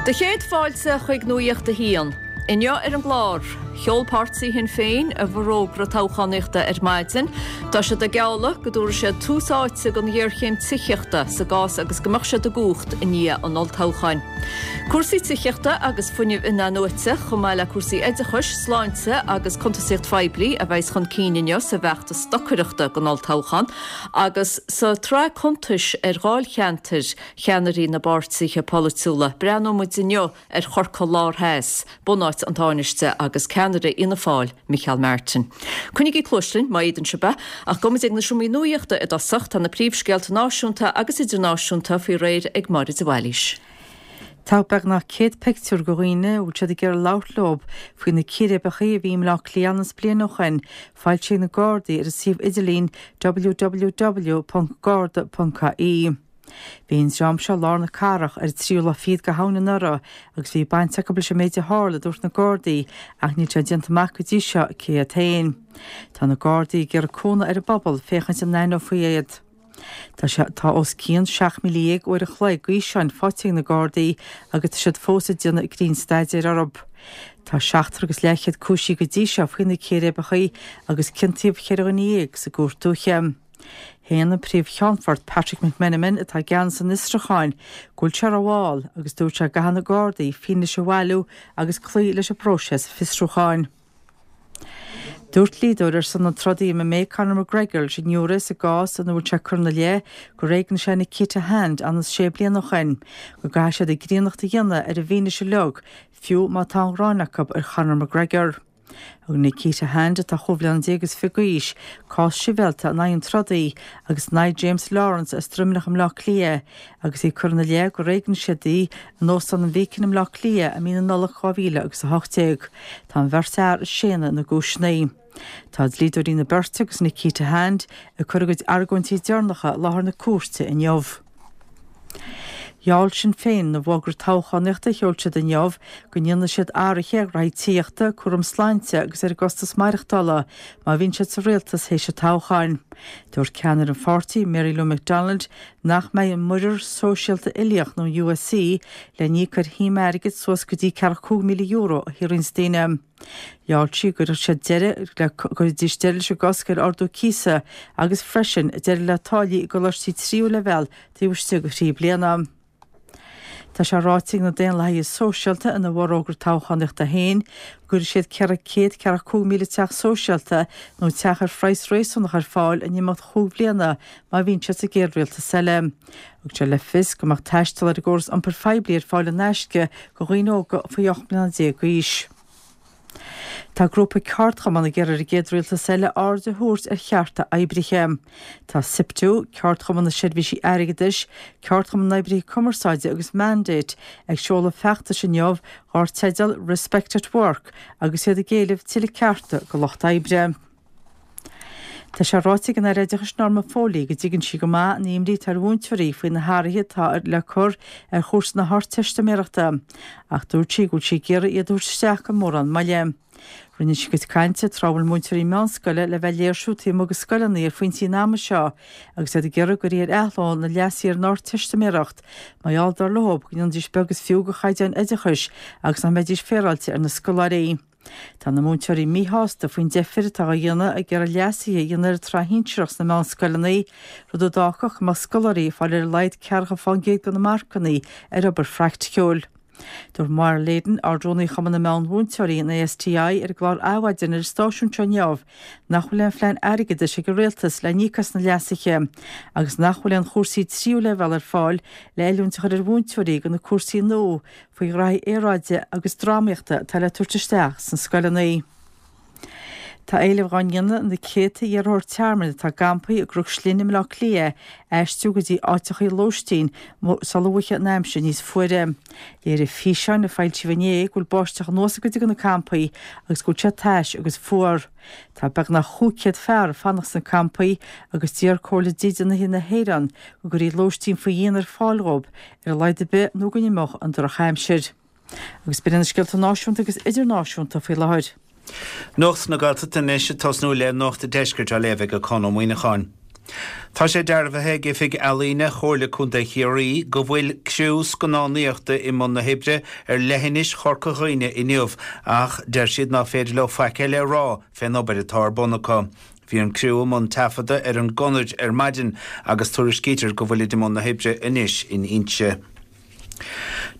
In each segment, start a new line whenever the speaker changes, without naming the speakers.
Do chéad fáilte chuig Nuacht a hAon. Inniu ar an gclár, sheol páirtí Shinn Féin a bhforógra toghchánaíochta ar maidin. Tá siad ag gealladh go dtabharfaidh siad tús áite don ghéarchéim tithíochta sa gcás agus go mbeadh siad i gcumhacht i ndiaidh an olltoghcháin. Cúrsaí tithíochta agus fuinneamh in-athnuaite, chomh maith le cúrsaí oideachais, sláinte agus cuntasaíocht phoiblí a bheas chun cinn inniu sa bhfeachtas stocaireachta don olltoghchán agus sa tsraith cuntais ar dháilcheantair cheannairí na bpáirtithe polaitiúla. Breathnóidh muid inniu ar Chorcaigh Lár Theas, bunáit an Tánaiste agus ceannaire Fhianna Fáil, Micheál Martin. Coinnígí cluais linn, má fhéadann sibh é, ach gabhfaidh muid ag na seomraí nuachta i dtosach, tá na príomhscéalta náisiúnta agus idirnáisiúnta faoi réir ag Máire de Bhailís.
Tá beagnach 100 pictiúr de dhaoine a bhfuil siad ag iarraidh labhairt leo faoi na círéibeacha a bhí i mBleá Cliath ionann is bliain ó shin foilsithe ag na Gardaí ar an suíomh idirlín www.garda.ie. Bhí an dream seo i lár na cathrach ar an tríú lá fichead de Shamhain anuraidh agus bhí baint acu leis an méid a tharla, a dúirt na Gardaí, ach níl sé déanta amach go dtí seo cé hiad féin. Tá na Gardaí ag iarraidh cúnamh ar an bpobal féachaint an n-aithneofaí iad. Tá sé tá os cionn 17,000 uair an chloig d'fhíseáin faighte ag na Gardaí agus tá siad fós ag déanamh grinnstaidéir orthu. Tá seachtar agus leathchéad cúisithe go dtí seo faoi na círéibeacha agus ciontaíodh cheithre dhuine dhéag sa gCúirt Dúiche. Shéan an Príomh-Cheannfort Patrick McMenamin, atá i gceannas an fhiosrúcháin, go bhfuil sé rómhall agus dúirt sé go gcaithfidh na Gardaí fianaise a bhailiú agus cloí leis an bpróiseas fiosrúcháin. Dúirt dlíodóir ar son an trodaí MMA Conor McGregor leis an ngiúiré sa gcás ina bhfuil sé curtha ina leith gur éignigh sé Nikita Hand ionann is sé bliana ó shin, go gcaithfidh siad a gcríonnacht a dhéanamh ar an bhfianaise uilig, fiú má tá an ghráin acu ar Chonor McGregor. Thug Nikita Hand, atá chúig bhliana déag is fiche d'aois, cás sibhialta in aghaidh an trodaí agus in aghaidh James Lawrence as Droimneach i mBleá Cliath agus í curtha ina leith gur éignigh siad í in Óstán an Bheacon i mBleá Cliath i mí na Nollag 2018. Tá an bheirt fhear ag séanadh na gcúiseanna. Tá dlíodóirí na beirte agus Nikita Hand ag cur a gcuid argóintí deireanacha i láthair na cúirte inniu. Gheall Sinn Féin ina bhfógra toghchánaíochta a sheol siad inniu go ndéanfaidh siad athruithe ar ghraithí tithíochta, cúram sláinte agus ar an gcostas maireachtála má bhíonn siad sa rialtas théis an toghcháin. Dúirt ceannaire an pháirtí, Mary Lou McDonald, nach mbeidh an Muirear Sóisialta Uilíoch nó an USC le n-íoc ar shuim airgid suas go dtí ceathracha €5,000 a shaothraíonns daoine. Gheall sí go gcuirfeadh siad deireadh le gcuirfidís deireadh leis an gcosc ar ardú cíosa agus freisin deireadh le táillí i gcoláistí tríú leibhéal taobh istigh de thrí bliana. Tá sé ráite ag na Daonlathaithe Sóisialta ina bhforógra toghchánaíochta féin go gcuirfidh siad 145,000 teach sóisialta nó teach ar phraghas réasúnach ar fáil in imeacht chúig bhliana má bhíonn siad sa gcéad rialtas eile. Thug sé le fios go mbeadh taisteal ar an gcóras iompair phoiblí ar fáil in aisce do dhaoine óga faoi 18 mbliana d'aois. Tá grúpa ceardchumann ag iarraidh ar an gcéad rialtas eile aird a thabhairt ar chearta oibrithe. Tá Siptu, Ceardchumann na Seirbhísí Airgeadais, Ceardchumann na nOibrithe Cumarsáide agus Mandate ag seoladh feachtais inniu dar teideal 'Respect at Work' agus iad ag éileamh tuilleadh cearta do lucht oibre. Tá sé ráite ag an Aire Oideachais Norma Foley go dtuigeann sí go maith an imní atá ar mhúinteoirí faoi na hathruithe atá le cur ar chúrsa na hArdteistiméireachta ach dúirt sí go bhfuil sí ag iarraidh iad a thabhairt isteach gan mórán moille. Rinne sí a cuid cainte tráth a bhfuil múinteoirí meánscoile le bheith ag léirsiú taobh amuigh de scoileanna ar phointí an ama seo agus iad ag iarraidh go gcuirfí ar athló na leasuithe ar an Ardteistiméireacht mar gheall dar leo go ndéanfaidís beag is fiú de chaighdeáin oideachais agus nach mbeidís féaráilte ar na scoláirí. Tá na múinteoirí míshásta faoin deifir atá á dhéanamh ag iarraidh leasuithe a dhéanamh ar an tsraith shinsearach sna meánscoileanna, rud a d'fhágfadh go mbeadh scoláirí ag fáil ar a laghad ceathracha fán gcéad de na marcanna ar obair phraiticiúil. Dúirt Máire Leyden, Ard-Rúnaí Chumann na Meán-Mhúinteoirí, an ASTI, ar an gclár Adhmhaidin ar an stáisiún seo inniu nach bhfuil aon phlean airgeadais ag an Rialtas le n-íoc as na leasuithe agus nach bhfuil aon chúrsaí tríú leibhéal ar fáil le oiliúint a chur ar mhúinteoirí do na cúrsaí nua faoi ghraithí aeráide agus drámaíochta atá le tabhairt isteach sna scoileanna. Tá éileamh dhá ndéanamh ar na céadta iarrthóir tearmainn atá i gcampaí i gCnoc Slinne i mBleá Cliath aistriú go dtí áiteachaí lóistín sula bhfaighidh an aimsir níos fuaire. Léirigh físeáin a foilsíodh inné go bhfuil báisteach anuas i gcuid de na campaí agus go bhfuil sé tais agus fuar. Tá beagnach 500 fear ag fanacht sna campaí agus d'iarr Comhairle Dídeanaithe na hÉireann go gcuirfí lóistín faoi dhíon ar fáil dhóibh ar a laghad ar bith nó go n-imeodh an drochaimsir. Agus b'in iad na scéalta náisiúnta agus idirnáisiúnta faoi láthair.
Nuacht na Gaeltachta anois ag tosnú le Nuacht an Deiscirt á léamh ag Conn Ó Muíneacháin. Tá sé dearbhaithe ag Oifig Ealaíne Chomhairle Contae Chiarraí go bhfuil criú scannánaíochta i mbun na hoibre ar leithinis Chorca Dhuibhne inniu ach deir siad ná féidir leo faic eile a rá fén obair atá ar bun acu. Bhí an criú i mbun taifeadta ar an gConair ar maidin agus tuairiscítear go bhfuilid i mbun na hoibre anois in Inse.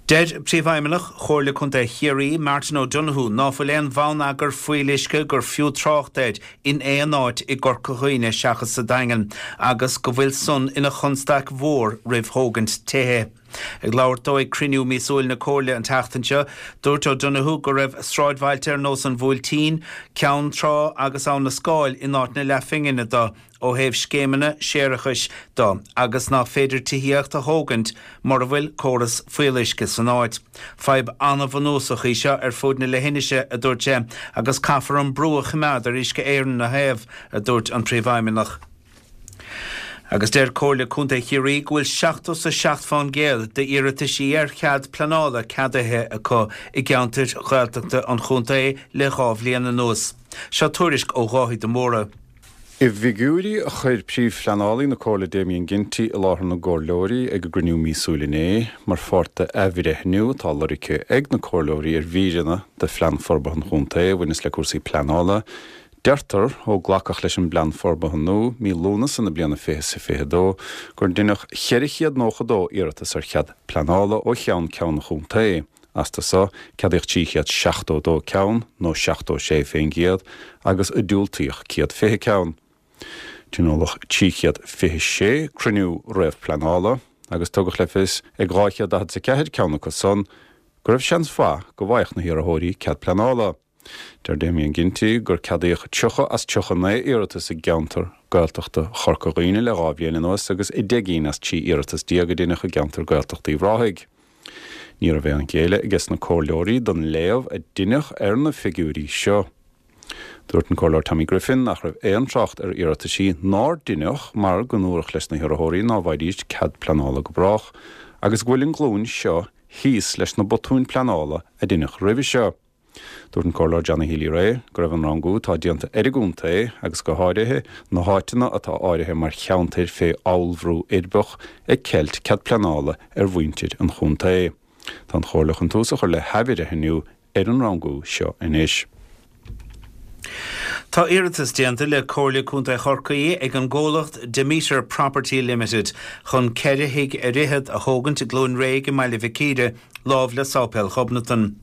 Deir Príomhfheidhmeannach Chomhairle Contae Chiarraí, Martin O'Donoghue, ná fuil aon bhonneagar fuíolluisce gur fiú trácht air in aon áit i gCorca Dhuibhne seachas sa Daingean agus go bhfuil san ina chonstaic mhór roimh thógaint tithe. Ag labhairt dó ag cruinniú míosúil na Comhairle an tseachtain seo, dúirt O'Donoghue go raibh sráidbhailte ar nós an Bhuailtín, Ceann Trá agus Abha na Scáil in áit na leathphingine do ó thaobh scéimeanna séarachais do agus nach féidir tithíocht a thógaint mura bhfuil córas fuíolluisce san áit. Fadhb an-bhunúsach í seo ar fuaid na leithinise, a dúirt sé, agus caithfear an brú a choimeád ar Uisce Éireann ina thaobh, a dúirt an Príomhfheidhmeannach. Agus deir Comhairle Contae Chiarraí go bhfuil 77 fán gcéad d'iarrataisí ar chead pleanála ceadaithe acu i gceantair Ghaeltachta an chontae le 2 bhliain anuas. Seo tuairisc ó Dháithí de Mórdha.
I bhfigiúirí a chuir Príomhphleanálaí na Comhairle Damien Ginty i láthair na gComhairleoirí ag a gcruinniú míosúil inné, mar pháirt d'athbhreithniú atá lorgtha ag na Comhairleoirí ar mhíreanna de Phlean Forbartha an Chontae a bhaineas le cúrsaí pleanála, deirtear, ó glacadh leis an bPlean Forbartha nua mí Lúnasa na bliana 2022, gur deineadh 492 iarratas ar chead pleanála ó cheann ceann an chontae. Astu so, ceadaíodh 372 ceann, nó 76 fén gcéad, agus diúltaíodh 120 ceann. Tionóladh 326 cruinniú réamhphleanála, agus tugadh le fios ag 244 ceann acu san go raibh seans mhaith go bhfaigheadh na hiarrthóirí cead pleanála. Deir Damien Ginty gur ceadaíodh 30 as 39 iarratas i gceantar Gaeltachta Chorca Dhuibhne le 2 bhliain anuas agus 10 gcinn as 13 iarratas a deineadh i gceantar Gaeltachta Uíbh Ráthaigh. Ní raibh aon ghéilleadh aige sna comhairleoirí don léamh a deineadh ar na figiúirí seo. Dúirt an Comhairleoir Tommy Griffin nach raibh aon trácht ar iarrataisí nár deineadh mar go ndúradh leis na hiarrthóirí ná bhfaighidís cead pleanála go brách agus go bhfuil an ghlúin seo thíos leis na botúin pleanála a deineadh roimhe seo. Dúirt an Comhairleoir Johnny Healy-Rae go raibh an rangú atá déanta ar an gcontae, agus go háirithe na háiteanna atá áirithe mar cheantair fé fheallmharú uirbeach, ag ceilt cead pleanála ar mhuintir an chontae. Tá an Chomhairle chun tús a chur le hathbhreithniú ar an rangú seo anois.
Tá iarratas déanta le Comhairle Contae Chorcaí ag an gcomhlacht Demeter Property Limited chun 4 thigh ar fhichead a thógaint i gCluain Réidh i mBaile Mhic Íre, lámh le Sáipéal Ghobnatan.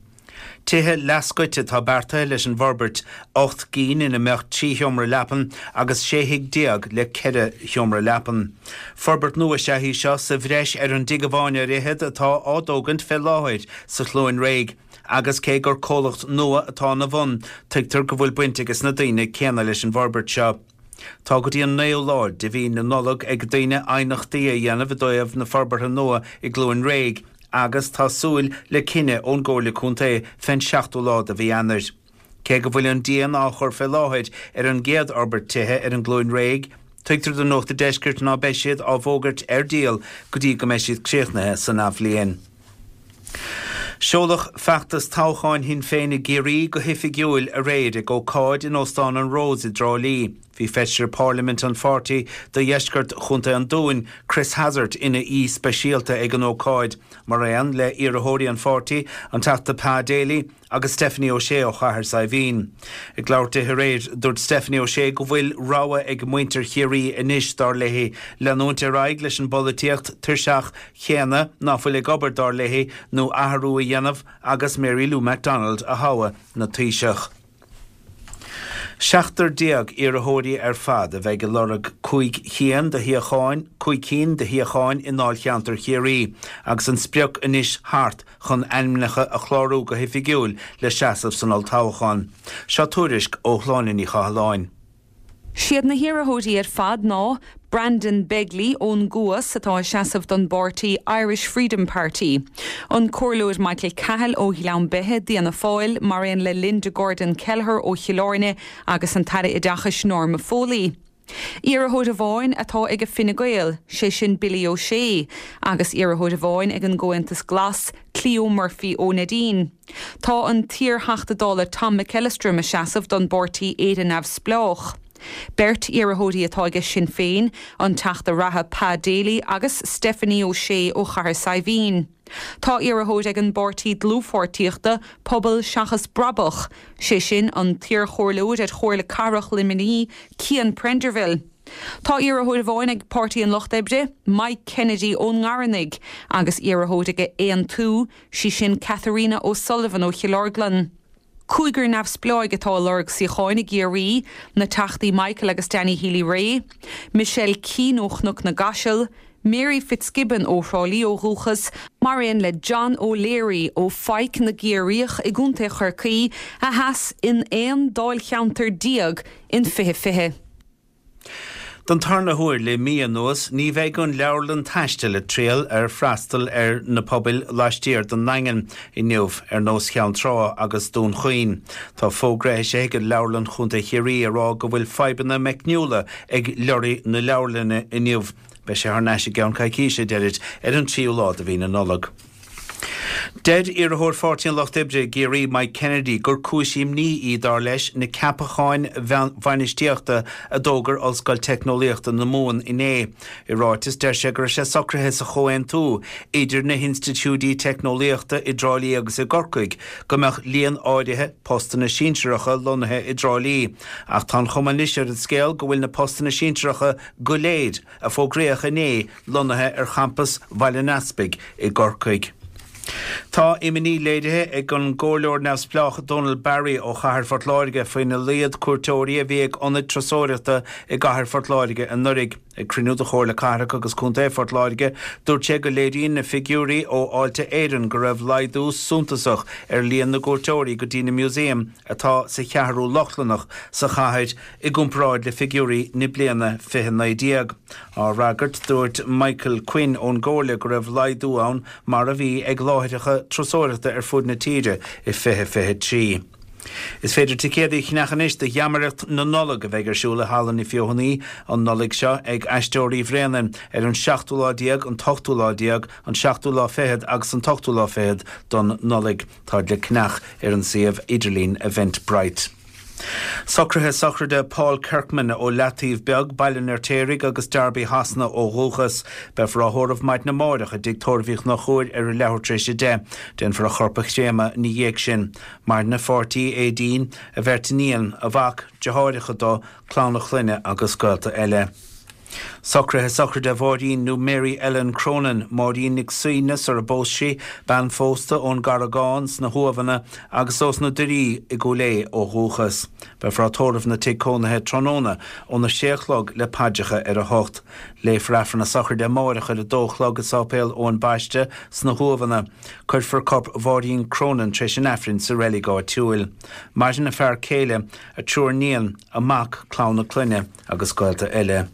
Tithe leathscoite atá beartaithe leis an bhforbairt, 8 gcinn ina mbeadh 3 sheomra leapan agus 16 thigh le 4 sheomra leapan. Forbairt nua is ea í seo sa bhreis ar an dtigh amháin ar fhichead atá á dtógaint fé láthair sa Chluain Réidh agus cé gur comhlacht nua atá ina bhun, tuigtear go bhfuil baint ages na daoine céanna leis an bhforbairt seo. Tá go dtí an 9ú lá de mhí na Nollag ag daoine aighneachtaí a dhéanamh i dtaobh na forbartha nua i gCluain Réidh agus tá súil le cinneadh ón gComhairle Contae fén 7ú lá de mhí Eanáir. Cé go bhfuil an díon á chur fé láthair ar an gcéad fhorbairt tithe ar an gCluain Réidh, tuigtear do Nuacht a' Deiscirt ná beidh siad á bhfógairt ar díol go dtí go mbeidh siad críochnaithe san athbhliain. Seoladh feachtas toghcháin Shinn Féin i gCiarraí go hoifigiúil aréir ag ócáid in Óstán an Rose i dTrá Lí. Bhí Feisire Parlaiminte an pháirtí do dheisceart Chontae an Dúin, Chris Hazzard ina aoi speisialta ag an ócáid, mar aon le iarrthóirí an pháirtí, an Teachta Pa Daly, agus Stephanie O'Shea ó Chathair Saidhbhín. Ag labhairt di aréir, dúirt Stephanie O'Shea go bhfuil rogha ag muintir Chiarraí anois, dar léi, leanúint ar aghaidh leis an bpolaitíocht tuirseach chéanna ná fuil ag obair, dar léi, nó athrú a dhéanamh agus Mary Lou McDonald a thoghadh 'na Taoiseach. 17 iarrthóirí ar fad a bheidh ag lorg 5 chinn de shuíocháin, 5 cinn de shuíocháin i ndáilcheantar Chiarraí agus an sprioc anois thart chun ainmneacha a chlárú go hoifigiúil le seasamh san olltoghchán. Seo tuairisc ó Shláine Ní Chathalláin.
Siad na hiarrthóirí ar fad ná, Brandon Begley ón gCuas atá ag seasamh don bpáirtí Irish Freedom Party, an Comhairleoir Michael Cahill ó Ghleann Beithe d'Fhianna Fáil mar aon le Linda Gordon Kelleher ó Chill Airne agus an tAire Oideachais Norma Foley. Iarrthóir amháin atá ag Fine Gael, sé sin Billy O'Shea, agus iarrthóir amháin ag an gComhaontas Glas, Cleo Murphy ó Neidín. Tá an t-iar-Theachta Dála Tom McEllistrim ag seasamh don bpáirtí Éire Neamhspleách. Beirt iarrthóirí atá aige Sinn Féin, an Teachta reatha Pa Daly agus Stephanie O'Shea ó Chathair Saidhbhín. Tá iarrthóir ag an bpáirtí dlúthpháirtíochta, Pobal Seachas Brabach, sé sin an t-iarchomhairleoir ar Chomhairle Cathrach Luimnigh, Cian Prenderville. Tá iarrthóir amháin ag Páirtí an Lucht Oibre, Mike Kennedy ón nGarranaigh, agus iarrthóir ag Aontú, sí sin Katharina O'Sullivan ó Chill Orglan. Cúigear neamhspleáigh atá ag lorg suíocháin i gCiarraí, na Teachtaí Michael agus Danny Healy-Rae, Michelle Keane ó Chnoc na gCaiseal, Mary Fitzgibbon ó Thrá Lí ó dhúchas, mar aon le John O'Leary ó Pháirc na gCiarraíoch i gContae Chorcaí, a sheas in 11 dáilcheantar in 2020.
Don tarna huair le mí anuas, ní bheidh an Leabharlann Taistil ag triall ar freastal ar na pobail laistiar den nDaingean inniu, ar nós Cheann Trá agus Dún Chaoin. Tá fógra eisithe ag Leabharlann Chontae Chiarraí ag rá go bhfuil fadhbanna meicniúla ag leoraí na leabharlainne inniu. Beidh sé thar n-ais i gceann coicíse, a deirid, ar an tríú lá de mhí na Nollag. Deir iarrthóir Pháirtí an Lucht Oibre i gCiarraí, Mike Kennedy, gur cúis imní í, dar leis, na ceapacháin bhainistíochta a d'fhógair Ollscoil Teicneolaíochta na Mumhan inné. I ráiteas, deir sé go raibh sé socraithe sa chomhaontú idir na hinstitiúidí teicneolaíochta i dTrá Lí agus i gCorcaigh go mbeadh líon áirithe postanna sinsearacha lonnaithe i dTrá Lí ach tá an chuma anois ar an scéal go bhfuil na postanna sinsearacha go léir a fógraíodh inné lonnaithe ar champas Bhaile an Easpaig i gCorcaigh. Tá imní léirithe ag an gComhairleoir neamhspleách Donal Barry ó Chathair Phort Láirge faoina laghad cuairteoirí a bhí ag ionaid turasóireachta i gCathair Phort Láirge anuraidh. Ag cruinniú de Chomhairle Cathrach agus Contae Phort Láirge, dúirt sé go léiríonn na figiúirí ó Fháilte Éireann go raibh laghdú suntasach ar líon na gcuairteoirí go dtí na músaeim atá sa Cheathrú Lochlannach sa chathair i gcomparáid le figiúirí na bliana 2019. Á fhreagairt, dúirt Michael Quinn ón gComhairle go raibh laghdú ann mar a bhí ag láithreacha turasóireachta ar fud na tíre i 2023. Is féidir ticéadaí a cheannach anois do Gheamaireacht na Nollag a bheidh ar siúl i Halla na Feothanaí an Nollaig seo ag Aisteoirí Bhréanainn ar an seachtú lá déag, an t-ochtú lá déag, an seachtú lá fichead agus an t-ochtú lá fichead don Nollaig. Táid le ceannach ar an suíomh idirlín Eventbrite. Socruithe sochraide Paul Kirkman ó Leataobh Beag, Baile an Fheirtéaraigh agus Derby Shasana ó dhúchas. Beifear á thórramh maidin amárach i dTigh Tórraimh Uí Chonchúir ar a leathuair tar éis 10. Déanfar a chorp a chréamadh ina dhiaidh sin. Maireann a pháirtí, Aedín, a bheirt iníon, a mhac, deartháireacha dó, clann a chlainne agus gaolta eile. Socruithe sochraide Mháirín nó Mary Ellen Cronin, Máirín Nic Suibhne sar a bpós sí, bean phósta ón gCarragán sna hUamhanna agus ós na Doirí i gCúil Aodha ó dhúchas. Beifear á tórramh ina tigh cónaithe tráthnóna óna sé a chlog le paidreacha ar a hocht. Léifear Aifreann na sochraide amáireach ar a dó a chlog i Sáipéal Eoin Baiste sna hUamhanna. Cuirfear corp Mháirín Cronin tar éis an Aifrinn sa reilig áitiúil. Maireann a fear céile, a triúr níon, a mac, clann a clainne agus gaolta eile.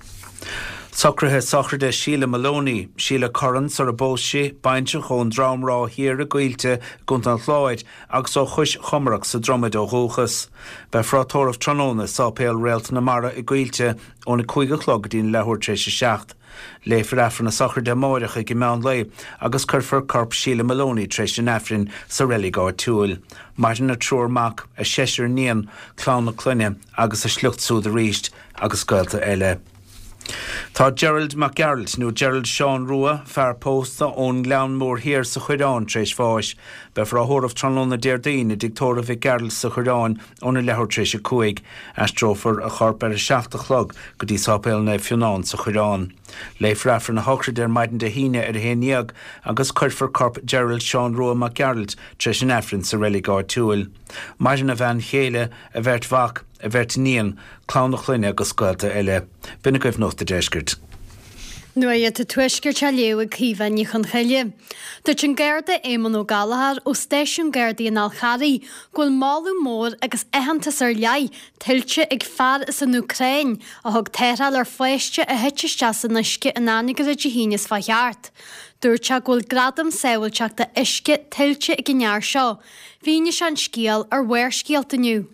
Socruithe sochraide Sheila Maloney, Sheila Curran sar a bpós sí, baintreach ón Drom Ráth Thiar i gCoillte i gContae an Chláir agus ó Chois Chomarac sa Dromaid ó dhúchas. Beifear á tórramh tráthnóna i Sáipéal Réalt na Mara i gCoillte óna 5 a chlog go dtí'n leathuair tar éis a 7. Léifear Aifreann na sochraide amáireach ag an meán lae agus cuirfear corp Sheila Maloney tar éis an Aifrinn sa reilig áitiúil. Maireann a triúr mac, a seisear níon, clann a clainne agus a sliocht súd arís agus gaolta eile. Tá Gerald Mac Gearailt, nó Gerald Seán Rua, fear pósta ón nGleann Mór Thiar sa Choireán tar éis bháis. Beifear á thórramh tráthnóna Déardaoin i dtigh tórraimh Mhic Gearailt sa Choireán óna leathuair tar éis a 5. Aistreofar a chorp ar a 7 a chlog go dtí Sáipéal Naomh Fionnán sa Choireán. Léifear Aifreann a shochraide ar maidin Dé hAoine ar a 11 agus cuirfear corp Gerald Seán Rua Mac Gearailt tar éis an Aifrinn sa reilig áitiúil. Maireann a bhean chéile, a bheirt mhac, a bheirt iníon, clann a chlainne agus gaolta eile. B'in agaibh Nuacht a' Deiscirt.
Nuacht an Tuaiscirt á léamh ag Caoimhe Ní Chonchoille. Dúirt an Garda Éamonn Ó Gallchóir ó Stáisiún Gardaí an Fháil Charraigh go bhfuil moladh mór agus aitheantas ar leith tuillte ag fear as an Úcráin a thug tarrtháil ar pháiste a thit isteach san uisce in Anagaire Dé hAoine seo chuaigh thart. Dúirt sé go bhfuil gradam sábháilteachta uisce tuillte ag an fhear seo. Mhínigh sé an scéal ar Bharrscéalta inniu.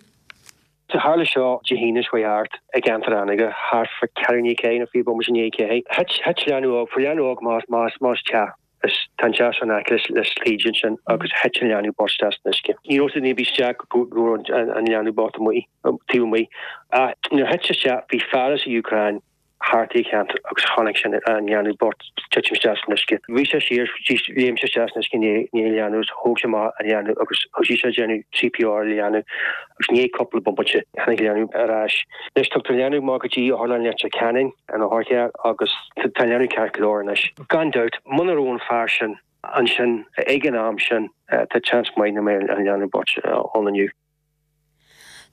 So tharla seo Dé hAoine seo chuaigh thart i gceantar Anagaire, thart fá ceathrú i ndiaidh a ceathair nó 20 bomaite i ndiaidh a ceathair. Thit, thit leanbh óg, fuair leanbh óg amach as, amach as, amach as teach. Is tá an teach in aice leis taoide ansin agus thit an leanbh bocht isteach san uisce. Ní raibh duine ar bith isteach go raibh an leanbh bocht amuigh, taobh amuigh. Ach nuair a thit sé isteach bhí fear as an Úcráin thart sa cheantar agus chonaic sé an leanbh bocht titim isteach san uisce. Rith sé siar, léim sé isteach san uisce i ndiaidh an leanbh agus thóg sé amach an leanbh agus thosaigh sé ag déanamh CPR ar an leanbh agus i ndiaidh cúpla bomaite tháinig an leanbh ar ais. Anois tugtar an leanbh amach go dtí Otharlann Leitir Ceanainn an otharcharr agus tá an leanbh ceart go leor anois. Gan dabht, muna raibh an fear sin ansin ag an am sin tá seans maith nach mbeadh an leanbh bocht ann inniu.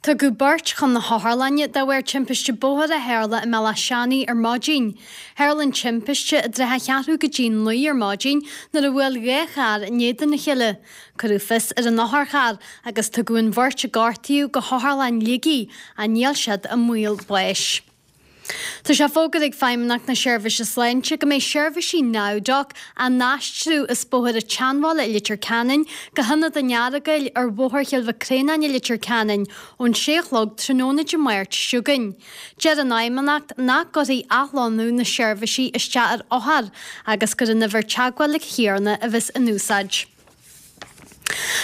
Tugadh beirt chun na hotharlainne de bharr timpiste bóthair a tharla i mBealach Seanaidh ar maidin. Tharla an timpiste i dtrátha cheathrú go dtí 9 ar maidin nuair a bhuail 2 charr in éadan a chéile. Cuireadh fios ar an otharcharr agus tugadh an bheirt a gortaíodh go hOtharlann Shligigh ach níl siad i mbaol báis. Tá sé fógartha ag Feidhmeannacht na Seirbhíse Sláinte go mbeidh seirbhísí NowDoc á n-aistriú as Bóthar an tSeanbhaile i Leitir Ceanainn go hIonad an Earagail ar Bhóthar Chill Mhic Réanáin i Leitir Ceanainn ón sé a chlog tráthnóna Dé Máirt seo chugainn. Deir an Fheidhmeannacht nach gcuirfidh athlonnú na seirbhísí isteach ar othair agus gur an uimhir teagmhála chéanna a bheas in úsáid.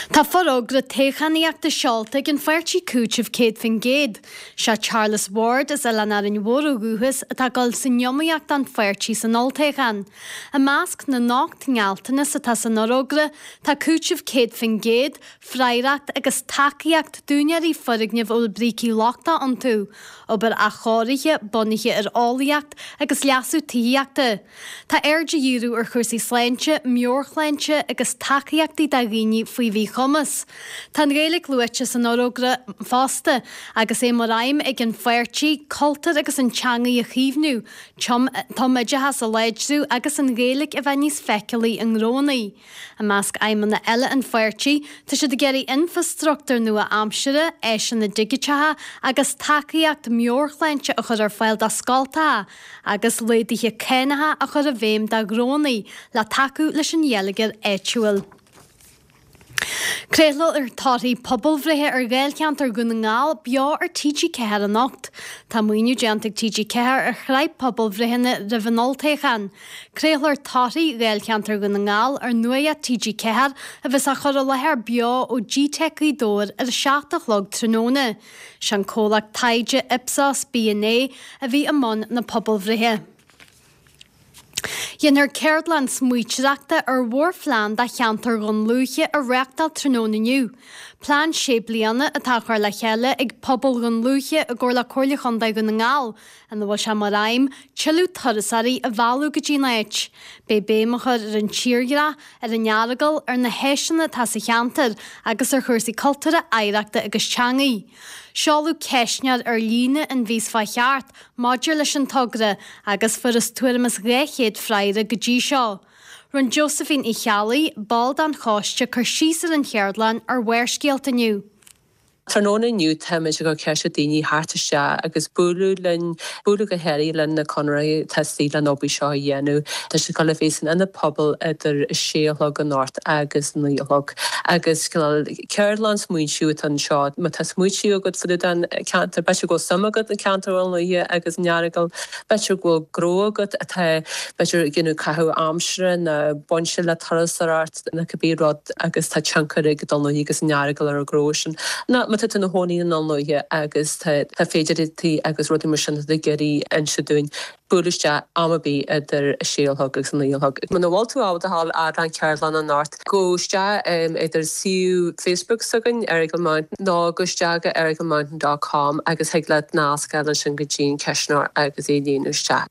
Tá forógra toghchánaíochta seolta ag an pháirtí Cúiteamh 100%. Sé Charles Ward as Oileán Árainn Mhór ó dhúchas atá ag dul san iomaíocht don pháirtí san olltoghchán. I measc na n-ocht ngealltanas atá san fhorógra tá cúiteamh 100%, freagracht agus tacaíocht d'úinéirí foirgneamh a bhfuil brící lochtacha iontu, obair athchóirithe bunaithe ar eolaíocht agus leasú tithíochta. Tá aird á dhíriú ar chúrsaí sláinte, meabhairshláinte agus tacaíochtaí do dhaoine faoi mhíchumas. Tá an Ghaeilge luaite san fhorógra fosta agus é mar aidhm ag an pháirtí cultúr agus an teangaidh a chaomhnú, tumoideachas a láidriú agus an Ghaeilge a bheith níos feiceálaí i ngnóanna. I measc aidhmeanna eile an pháirtí, tá siad ag iarraidh infreastruchtúr nua-aimseartha, áiseanna digiteacha agus tacaíocht meabhairshláinte a chur ar fáil do scoltacha agus laghduithe cánacha a chur i bhfeidhm do ghnóanna le tacú leis an gheilleagar áitiúil. Craolfar torthaí pobalbhreithe ar Dháilcheantar Dhún na nGall beo ar TG4 anocht. Tá maoiniú déanta ag TG4 ar shraith pobalbhreitheanna roimh an olltoghchán. Craolfar torthaí Dháilcheantar Dhún na nGall ar Nuacht TG4 a bheas á chur i láthair beo ó Gteic Ghaoth Dobhair ar a 7 a chlog tráthnóna. Sé an comhlacht taighde Ipsos BNA a bhí i mbun na pobalbhreithe. Déanfar ceardlann smaointeoireachta ar mhórphlean do cheantar Dhún Lúiche a reáchtáil tráthnóna inniu. Plean sé bliana atá á chur le chéile ag pobal Dhún Lúiche i gcomhar le Comhairle Chontae Dhún na nGall ina bhfuil sé mar aidhm tuilleadh turasóirí a mhealladh go dtí an áit. Beidh béim á chur ar an tírdhreach, ar an Earagail, ar na háiseanna atá sa cheantar agus ar chúrsaí cultúrtha, oidhreachta agus teangaí. Seoladh ceistneoir ar líne an mhí seo chuaigh thart maidir leis an togra agus fuarthas tuairim is 200 freagra go dtí seo. Rinne Josephine Uí Cheallaigh, ball den choiste, cur síos ar an cheardlann ar Bharrscéalta inniu.
Tráthnóna inniu táimid ag cur ceist ar daoine theacht isteach agus bualadh linn, bualadh go háirithe le na conraitheoirí atá istigh len obair seo a dhéanamh. Tá sé ag dul a bheith san Ionad Pobail idir a sé a chlog anocht agus a 9 a chlog. Agus cineál ceardlann smaointiú atá anseo. Má tá smaointiú agat fá dtaobh den cheantar, b'fhéidir go bhfuil suim agat i gceantar Dhún Lúiche agus an Earagail, b'fhéidir go bhfuil gnó agat atá b'fhéidir ag déanamh caitheamh aimsire nó bainte le turasóireacht, nó cibé rud agus tá tionchar ag Dún Lúiche agus an Earagail ar an ghnó sin. Nó má tá tú ina chónaí i nDún Lúiche agus tá tá féidearthachtaí agus rudaí mar sin atá tú ag iarraidh inse dúinn, buail isteach am ar bith idir a sé a chlog agus a naoi a chlog. Muna bhfuil tú ábalta a ghabháil fhad len ceardlann anocht, gabh isteach idir suíomh Facebook s'againn, Errigal Mountain, nó gabh isteach go errigalmountain dot com agus thig leat nasc a fháil ansin go dtí an ceistneoir agus é a líonadh isteach.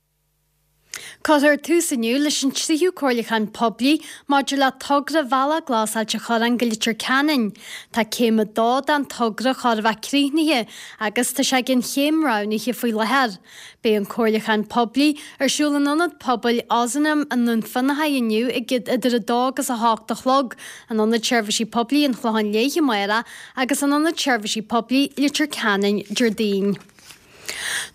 Cuirfear tús inniu leis an tríú comhairliúchán poiblí maidir le togra Bhealach Glas Ailt an Chorráin go Leitir Ceanainn. Tá céim 2 den togra chóir a bheith críochnaithe agus tá sé ag an chéim roghnaithe faoi láthair. Beidh an comhairliúchán poiblí ar siúl in Ionad Pobail Ozanam i nDún Fionnachaidh inniu ag idir 2 agus 8 a chlog, in Ionad Seirbhísí Poiblí an Chlocháin Léith amárach agus in Ionad Seirbhísí Poiblí Leitir Ceanainn Déardaoin.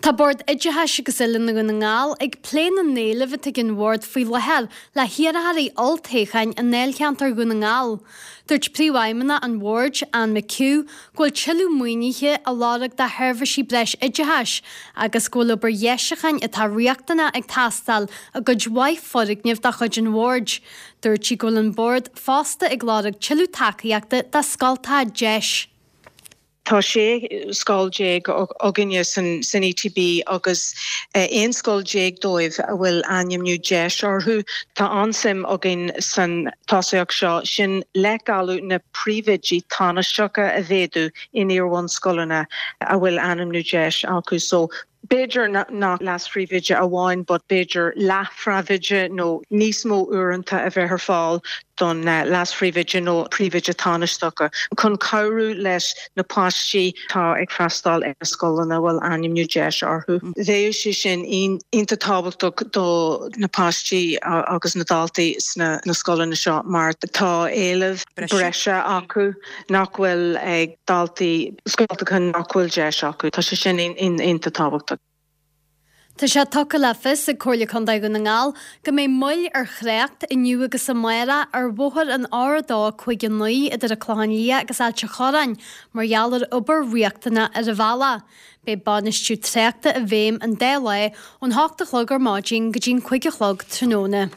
Tá Bord Oideachais agus Oiliúna Dhún na nGall ag plé na n-éileamh atá ag an Bhord faoi láthair le hiarrthóirí olltoghcháin i ndáilcheantar Dhún na nGall. Dúirt Príomhfheidhmeannach an Bhoird, Anne McHugh, go bhfuil tuilleadh maoinithe á lorg do sheirbhísí breis oideachais agus go bhfuil obair dheisiúcháin atá riachtanach ag teastáil i gcuid mhaith foirgneamh de chuid an Bhoird. Dúirt sí go bhfuil an Bord fosta ag lorg tuilleadh tacaíochta do scoltacha deis.
Tá 16 scoil againne san ETB agus 11 scoil dóibh a bhfuil ainmniú deis orthu. Tá an-suim againn san tosaíocht seo, sin leithdháileadh na príomhoidí tánaisteacha a mhéadú in iar-bhunscoileanna a bhfuil ainmniú deis acu. So B'fhéidir nach leas-phríomhoide amháin but b'fhéidir leath-phríomhoide nó níos mó uaireanta a bheith ar fáil don leas-phríomhoide nó príomhoide tánaisteacha chun cabhrú leis na páistí atá ag freastal ar na scoileanna a bhfuil ainmniú deis orthu. Bheadh sé sin iontach tábhachtach do na páistí agus na daltaí sna scoileanna seo mar tá éileamh breise acu. nach bhfuil ag daltaí scoltacha nach bhfuil deis acu. Tá sé sin iontach tábhachtach.
Tá sé tugtha le fios ag Comhairle Contae Dhún na nGall go mbeidh moill ar thrácht inniu agus amárach ar bhóthar an R259 idir an Clochán Liath agus Ailt an Chorráin mar gheall ar obair riachtanach ar an bhealach. Beidh bainistiú tráchta i bhfeidhm an dá lá ón hocht a chlog ar maidin go dtí'n 5 a chlog tráthnóna.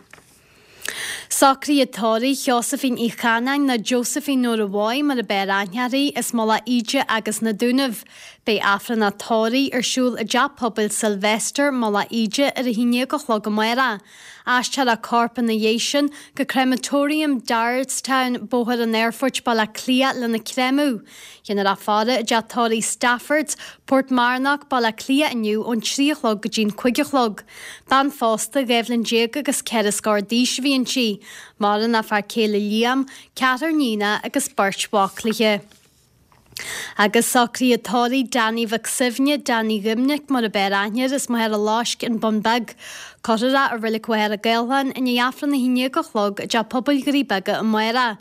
Socruithe tórraimh Sheosaimhín Uí Chanáin nó Josephine Nóra Mhaigh mar a b'fhearr aithne uirthi, as Mullach Íde agus na Dúnaibh. Beidh Aifreann a tórraimh ar siúl i dTeach Pobail Sylvester, Mullach Íde ar a haon dhéag a chlog amárach. Aistreofar a corp ina dhiaidh sin go Crematorium Darnestown, Bóthar an Aerfoirt, Baile Átha Cliath lena créamadh. Déanfar a faire i dteach tórraimh Staffords, Portmarnock, Baile Átha Cliath inniu ón 3 a chlog go dtí'n 5 a chlog. Bean phósta, 12 bhliain agus ceithre scór d'aois a bhí inti. Maireann a fear céile Liam, ceathrar níonacha agus beirt mhac léi. Agus socruithe tórraimh Danny Mhic Suibhne, Danny Dhoimnic mar a b'fhearr aithne air, as Machaire Loisc, An Bun Beag. Cuirfear é i Reilig Mhachaire Gathlán i ndiaidh Aifreann 11 a chlog i dTeach Pobail Dhoirí Beaga amárach.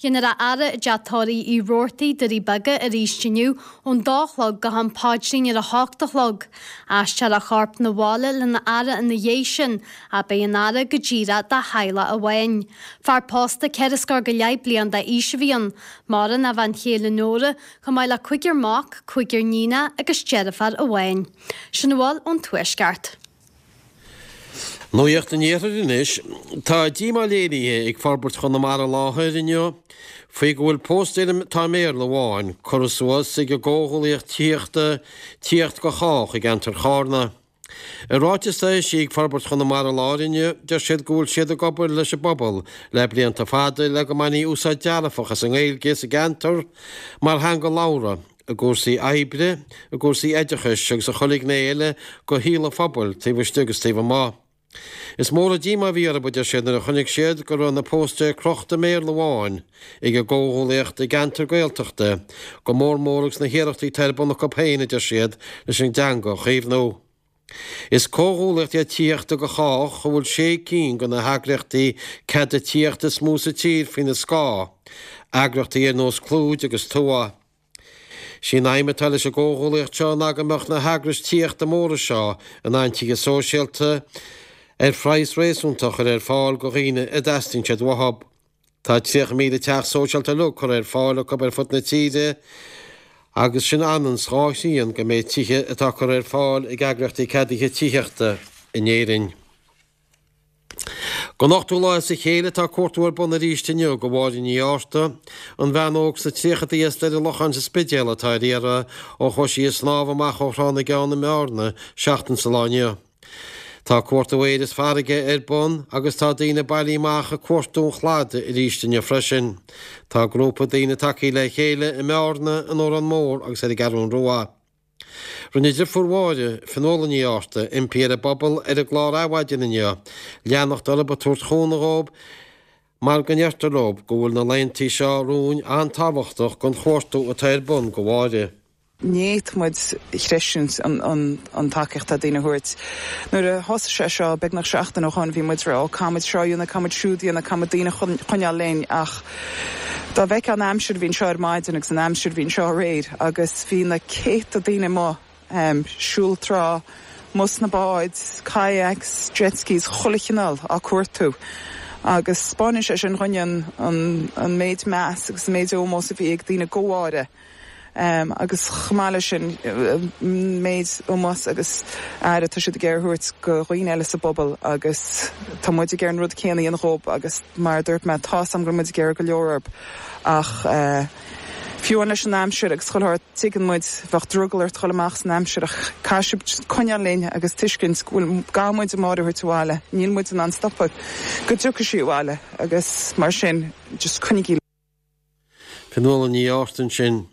Déanfar a fhaire i dTeach Tórraimh Uí Robhartaigh, Doirí Beaga, arís inniu ón dó a chlog go ham paidrín ar a hocht a chlog. Aistreofar a chorp 'na bhaile lena fhaire ina dhiaidh sin, ach beidh an fhaire go díreach dá theaghlach amháin. Fear pósta ceithre scór go leith bliain d'aois a bhí ann. Maireann a bhean chéile Nóra, chomh maith le cúigear mac, cúigear níonach agus deirfiúr amháin. Sin a bhfuil ón Tuaisceart.
Nuacht an Iarthair anois. Tá díomá léirithe ag Forbairt Chonamara Láir inniu faoi go bhfuil póstaeir atá i mBéarla amháin curtha suas ag an gcomhghuaillíocht tithíochta Tithíocht do Chách i gceantar Chárna. I ráiteas a eisíodh ag Forbairt Chonamara Láir inniu, deir siad go bhfuil siad ag obair leis an bpobal le blianta fada le go mbainfí úsáid dearfach as an nGaeilge sa gceantar mar theanga labhartha. i gcúrsaí oibre, i gcúrsaí oideachais agus i chuile ghné eile de shaol an phobail, taobh istigh agus taobh amuigh. Is mór an díomá a bhí orthu, a deir siad, nuair a chonaic siad go raibh na póstaeir crochta i mBéarla amháin ag an gcomhghuaillíocht i gceantar Gaeltachta, go mór mór agus na hiarrachtaí atá ar bun acu féin, a deir siad, leis an dteanga a chaomhnú. Is comhghuaillíocht iad Tithíocht do Chách a bhfuil sé cinn de na heagraíochtaí ceadaithe tithíochta is mó sa tír faoina scáth, eagraíochtaí ar nós Clúid agus Tuath. Sí an aidhm atá leis an gcomhghuaillíocht seo ná go mbeadh na heagrais tithíochta móra seo in ann tithe sóisialta ar phraghas réasúnta a chur ar fáil do dhaoine a dteastaíonn siad uathu. Tá 30,000 teach sóisialta uilig curtha ar fáil acu ar fud na tíre agus sin ionann 's dhá thrian den méid tithe atá curtha ar fáil ag eagraíochtaí ceadaithe tithíochta in Éirinn. Don ochtú lá as a chéile tá cuartú ar bun arís inniu do Mháire Ní Fhátharta, an bhean óg sna tríochadaí as Doire Locháin sa Spidéal atá ar iarraidh ó chuaigh sí ag snámh amach ó Thrá na gCeann i mBearna seachtain sa lá inniu. Tá cuartú aeir is farraige ar bun agus tá daoine bailithe amach ag cuartú an chladaigh arís inniu freisin. Tá grúpa daoine tagtha le chéile i mBearna, in Órán Mór agus ar an gCeathrún Rua. Rinne deirfiúr Mháire, Fionnuala Ní Fhátharta, impí ar an bpobal ar an gclár Adhmhaidin inniu leanacht orthu ag tabhairt chúnamh dhóibh mar go ndeirtear leo go bhfuil na laethantaí seo romhainn an-tábhachtach don chuartú atá ar bun do Mháire.
Ní fhéadfadh muid a chreidiúint an tacaíocht atá daoine a thabhairt. Nuair a thosaigh sé seo beagnach seachtain ó shoin bhí muid ag rá ó caithfimid seo a dhéanamh, caithfimid siúd a dhéanamh, caithfimid daoine a choinneáil linn ach dá bhfeicfeá an aimsir a bhí anseo ar maidin agus an aimsir a bhí anseo aréir agus bhí na céadta daoine amuigh. Siúl trá, amuigh sna báid, kayaks, jet skis, chuile chineál á cuartú. Agus 'spáineann sé sin dhúinn an an méid meas agus an méid ómós a bhí ag daoine go Mháire. Agus chomh maith leis sin, an méid ómós agus aire atá siad ag iarraidh a thabhairt go dhaoine eile sa bpobal agus tá muid ag iarraidh an rud céanna a dhéanamh dhób agus mar a dúirt mé, tá's a'm go raibh muid ag iarraidh go leor orb ach fiú amháin leis an aimsir agus chuile shórt, tuigeann muid, bheadh drogall ort dhul amach san aimsir ach caithfidh sibh coinneáil linn agus tuiscint go bhfuil, gcaithfidh muid Máire a thabhairt abhaile, níl muid in ann stopadh go dtiocfaidh sí abhaile agus mar sin just coinnigí.
Fionnuala Ní Fhátharta ansin.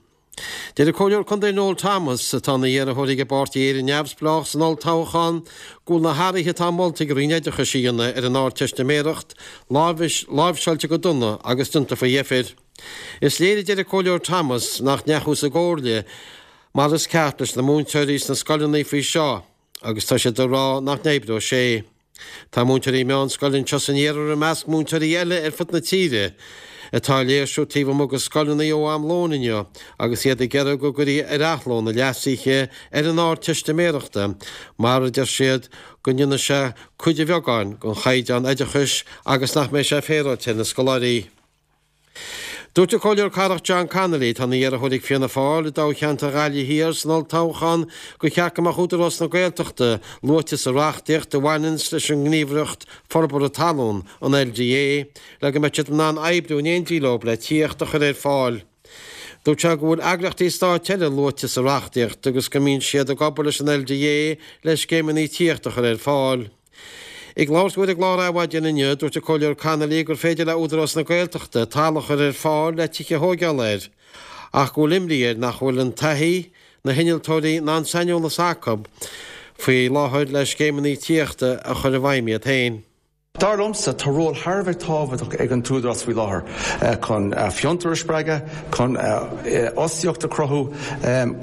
Deir an Comhairleoir Contae Noel Thomas, atá ina iarrthóir ag an bpáirtí Éire Neamhspleách san olltoghchán, go bhfuil na hathruithe atá molta ag an Roinn Oideachais a dhéanamh ar an Ardteistiméireacht láimhseáilte go dona agus déanta faoi dheifir. Is léir, a deir an Comhairleoir Thomas, nach ndeachthas i gcomhairle mar is ceart leis na múinteoirí sna scoileanna faoi seo agus tá siad ag rá nach n-oibreoidh sé. Tá múinteoirí meánscoile anseo san iarthar i measc múinteoirí eile ar fud na tíre atá ag léirsiú taobh amuigh de scoileanna ó am lóin inniu agus iad ag iarraidh go gcuirfí ar athló na leasuithe ar an Ardteistiméireachta mar a deir siad go ndéanfaidh sé cuid de bheagán den chaighdeán oideachais agus nach mbeidh sé féaráilte ar na scoláirí. Dúirt an Comhairleoir Cathrach John Connolly, atá ina iarrthóir ag Fianna Fáil i dtoghcheantar Ghaillimh Thiar san olltoghchán, gur cheart go mbeadh Údarás na Gaeltachta luaite sa reachtaíocht a bhaineanns leis an nGníomhaireacht Forbartha Talún, an LDA, le go mbeadh siad in ann oibriú in éindí leo le tithíocht a chur ar fáil. Dúirt sé go bhfuil eagraíochtaí stáit eile luaite sa reachtaíocht agus go mbíonn siad ag obair leis an LDA le scéimeanna tithíochta a chur ar fáil. Ag labhairt dó ar an gclár Adhmhaidin inniu, dúirt an Comhairleoir Connolly gur féidir le Údarás na Gaeltachta talamh a chur ar fáil le tithe a thóigeáil air, ach go bhfuil imní air nach bhfuil an taithí, na hinnealtóirí ná an saineolas acu faoi láthair le scéimeanna tithíochta a chur i bhfeidhm iad féin.
Dar liomsa, tá ról thar a bheith tábhachtach ag an tÚdarás faoi láthair chun fiontar a spreagadh, chun fhostaíocht a chruthú,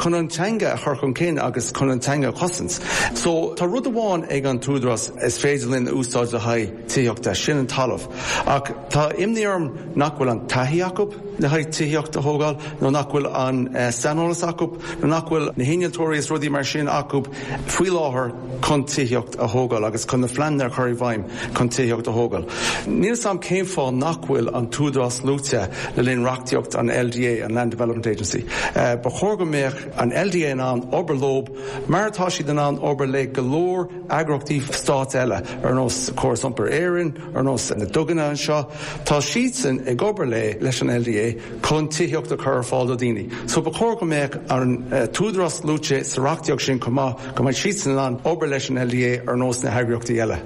chun an teanga a chur chun cinn agus chun an teanga a chosaint. So, tá rud amháin ag an tÚdarás is féidir linn a úsáid le haghaidh tithíochta, sin an talamh. Ach tá imní orm nach bhfuil an taithí acu le haghaidh tithíocht a thógáil nó nach bhfuil an saineolas acu nó nach bhfuil na hinnealtóirí is rudaí mar sin acu faoi láthair chun tithíocht a thógáil agus chun na phleananna a chur i bhfeidhm chun tithíocht a thógáil. Níl 'fhios a'm cén fáth nach bhfuil an tÚdarás luaite le linn reachtaíocht an LDA, an Land Development Agency. Ba chóir go mbeadh an LDA in ann obair leo mar atá siad in ann obair le go leor eagraíochtaí stáit eile ar nós Córas Iompair Éireann, ar nós na duganna anseo. Tá siadsan ag obair le leis an LDA chun tithíocht a chur ar fáil do dhaoine. So ba chóir go mbeadh an tÚdarás luaite sa reachtaíocht sin chomh maith, go mbeadh siadsan in ann obair leis an LDA ar nós na heagraíochtaí eile.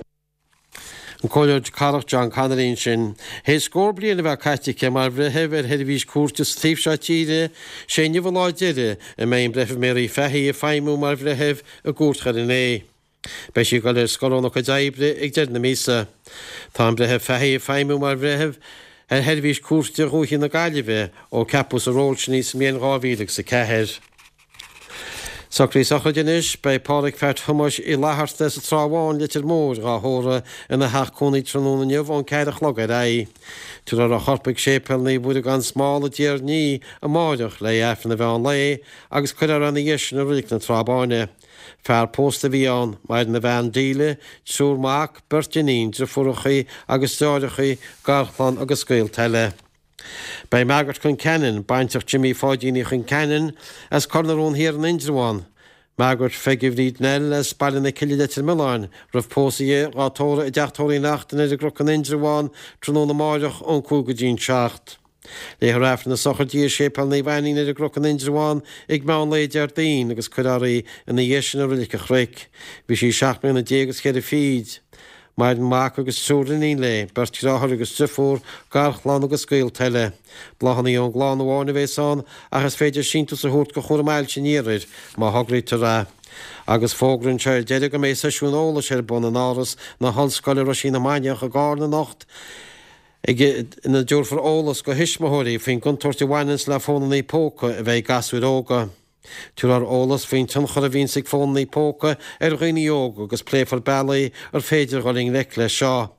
An Comhairleoir Cathrach John Connolly ansin. Théis scór bliain a bheith caite aici mar bhreitheamh ar sheirbhís cúirte sa taobh seo tíre, sé inniu an lá deiridh a mbeidh an Breitheamh Mary Fahy ag feidhmiú mar bhreitheamh i gCúirt Dhoire an Fhéich. Beidh sí ag dul ar scor óna cuid oibre ag deireadh na míosa. Tá an Breitheamh Fahy ag feidhmiú mar bhreitheamh ar sheirbhís cúirte Dhúiche na Gaillimhe ó ceapadh sa ról sin í sa mbliain 2004. Socruithe sochraide anois. Beidh Pádhraic Pheait Thomáis Uí Fhlatharta as an Trá Bháin, Leitir Móir, dhá thórramh ina theach cónaí tráthnóna inniu ón 4 a chlog ar aghaidh. Tabharfar a chorp ag Séipéal Naomh Muire gan Smál i dTír an Fhia amáireach le Aifreann an mheán lae agus cuirfear é ina dhiaidh sin i Reilig na Trá Báine. Fear pósta a bhí ann, maireann a bhean Delia, triúr mac, beirt iníon, driofúrachaí agus deartháireachaí, garchlann agus gaolta eile. Beidh Margaret Concannon, baintreach Jimmy Pháidín Uí Chonceanainn, as Cor na Rón Thiar in Indreabhán, Margaret Pheige Bhríd Nell as Baile na Cille Leitir Mealláin, roimh pósadh di, dhá tórramh i dTeach Tórraimh Uí Neachtain ar an gCnoc in Indreabhán tráthnóna amáireach ón 5 go dtí an 7. Léifear Aifreann na sochraide i Séipéal Naomh Ainnín ar an gCnoc in Indreabhán ag meán lae Déardaoin agus cuirfear í ina dhiaidh sin i Reilig an Chnoic. Bhí sí seacht mbliana déag agus cheithre fichid. Maireann mac agus triúr iníon léi, beirt dheartháir agus driofúr, garchlann agus gaolta eile. Bláthanna ón gclann amháin a bhéas ann ach is féidir síntiús a thabhairt do Chúram Ailse an Iarthair má thograítear é. Agus fógra anseo ar deireadh go mbeidh seisiún eolais ar bun in Áras na hOllscoile Roisín na Mainiach i gCarna anocht ag ina dtabharfar eolas go thuismitheoirí faoin gcontúirt a bhaineanns le fónannaí póca a bheith ag gasúir óga. Tabharfar eolas faoin tionchar a bhíonns ag fónannaí póca ar dhaoine óga agus pléifear bealaí ar féidir dhul i ngleic leis seo.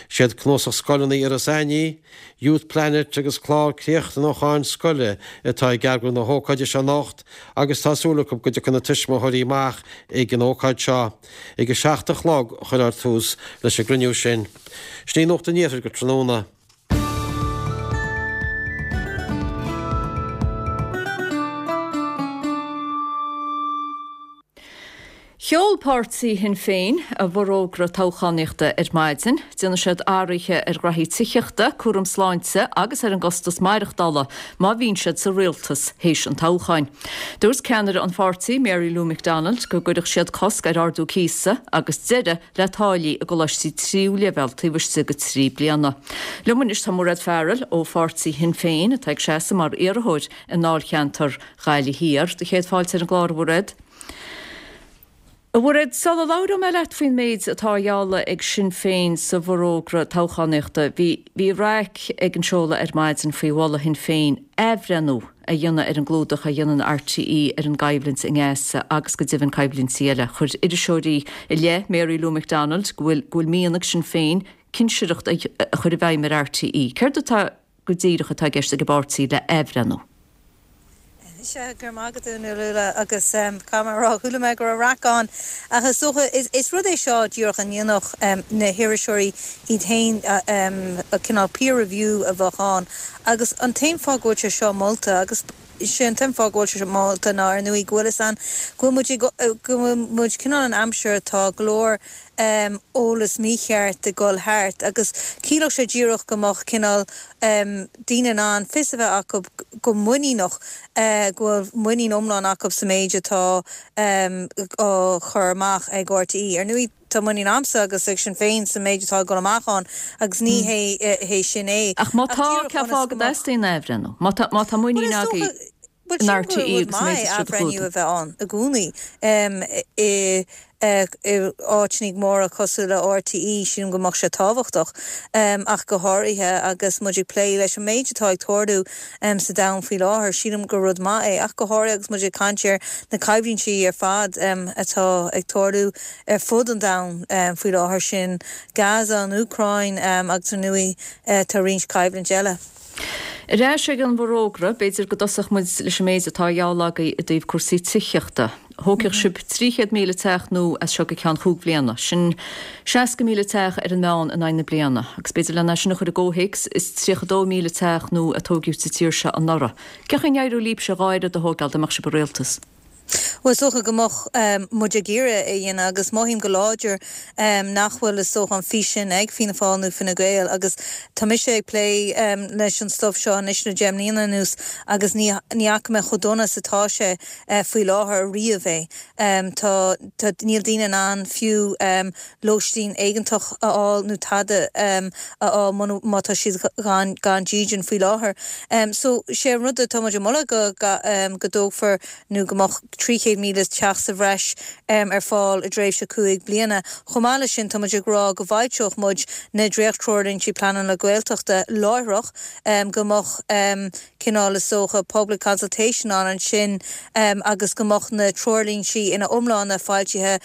Siad Cnuasach Scoileanna Iorras Aithnigh, Youth Planet agus Clár Críochnúcháin Scoile atá ag eagrú na hócáide seo anocht agus tá súil acu go dtiocfaidh na tuismitheoirí amach ag an ócáid seo. Ag a 7 a chlog a chuirfear tús leis an gcruinniú sin. Sin í Nuacht an Iarthair go tráthnóna.
Sheol páirtí Shinn Féin a bhforógra toghchánaíochta ar maidin. Déanfaidh siad athruithe ar ghraithí tithíochta, cúram sláinte agus ar an gcostas maireachtála má bhíonn siad sa rialtas théis an toghcháin. Dúirt ceannaire an pháirtí, Mary Lou McDonald, go gcuirfeadh siad cosc ar ardú cíosa agus deireadh le táillí i gcoláistí tríú leibhéal taobh istigh de thrí bliana. Liom anois tá Mairéad Farrell ó pháirtí Shinn Féin atá ag seasamh mar iarrthóir i ndáilcheantar Ghaillimh Thiar. Do chéad fáilte ar an gclár, a Mhairéad. A Mhairéad, sula labhróidh mé leat faoin méid atá á ghealladh ag Sinn Féin sa bhforógra toghchánaíochta, bhí bhí raic ag an seoladh ar maidin faoi mholadh Shinn Féin athbhreithniú a dhéanamh ar an gclúdach a dhéanann RTÉ ar an gcoimhlint i nGaza agus go deimhin coimhlintí eile. Chuir iriseoirí i leith Mary Lou McDonald go bhfuil go bhfuil mian ag Sinn Féin cinsireacht a chur i bhfeidhm ar RTÉ. Céard atá go díreach atá i gceist ag an bpáirtí le athbhreithniú.
Sea, go raibh maith agat a Fhionnuala, agus caithfidh mé a rá, chuala mé go raibh raic ann, ach is dócha, is rud é seo díreach a ndéanfadh na hiriseoirí iad féin, cineál peer review a bheadh ann, agus an t-aon fáth go bhfuil sé seo molta, agus sé an t-aon fáth go bhfuil sé seo molta ná ar ndóigh go bhfuil fhios a'inn go bhfuil muid ag, go bhfuil muid cineál in aimsir atá go leor eolas mícheart ag dul thart agus chiallódh sé díreach go mbeadh cineál daoine in ann fios a bheith acu go muiníneach go bhfuil muinín iomlán acu sa méid atá á chur amach ag RTÉ. Ar ndóigh tá muinín a'msa agus ag Sinn Féin sa méid atá ag dul amach ann agus ní hé sin é.
Ach má tá, cén fáth go dteastaíonn athbhreithniú? Má tá muinín agaibh
Bhuel, sílim gur rud maith athbhreithniú a bheith ann i gcónaí i áiteanna móra cosúil le RTÉ, sílim go mbeadh sé tábhachtach, ach go háirithe agus muid ag plé leis an méid atá ag tarlú sa domhan faoi láthair, sílim gur rud maith é, ach go háirithe agus muid ag caint ar na coimhlintí ar fad atá ag tarlú ar fud an domhain faoi láthair, sin Gaza, an Úcráin agus ar ndóigh tá roinnt coimhlint eile.
Ar ais ag an bhforógra, b'fhéidir go dtosódh muid leis an méid atá á ghealladh agaibh i dtaobh cúrsaí tithíochta. Thógfadh sibh 300,000 teach nua as seo go ceann chúig bhliana. Sin 60,000 teach ar an meán in aghaidh na bliana. Agus b'fhéidir len é sin a chur i gcomhthéacs, is 32,000 teach nua a tóigeadh sa tír seo anuraidh. Cén chaoi a n-éireodh libhse a dhá oiread a thógáil dá mbeadh sibh i rialtas?
Bhuel, is dócha go mbeadh muid ag iarraidh é a dhéanamh agus mothaím go láidir nach bhfuil, is dócha, an fís sin ag Fianna Fáil nó Fine Gael agus tá mise ag plé leis an stuif seo anois le deich mbliana anuas agus ní fhaca mé chomh dona is atá sé faoi láthair ariamh é. Tá, tá, níl daoine in ann fiú lóistín éigeantach a fháil nó tada a fháil muna, má tá siad gan, gan dídean faoi láthair. So, sé an rud atá muid ag moladh go, go dtógfar nó go mbeadh 300,000 teach sa bhreis ar fáil i dtréimhse 5 bliana. Chomh maith leis sin, tá muid ag rá go bhfoilseodh muid na dréacht-treoirlíntí pleanála Gaeltachta láithreach, go mbeadh cineál, is dócha, public consultation ann ansin agus go mbeadh na treoirlíntí ina iomláine foilsithe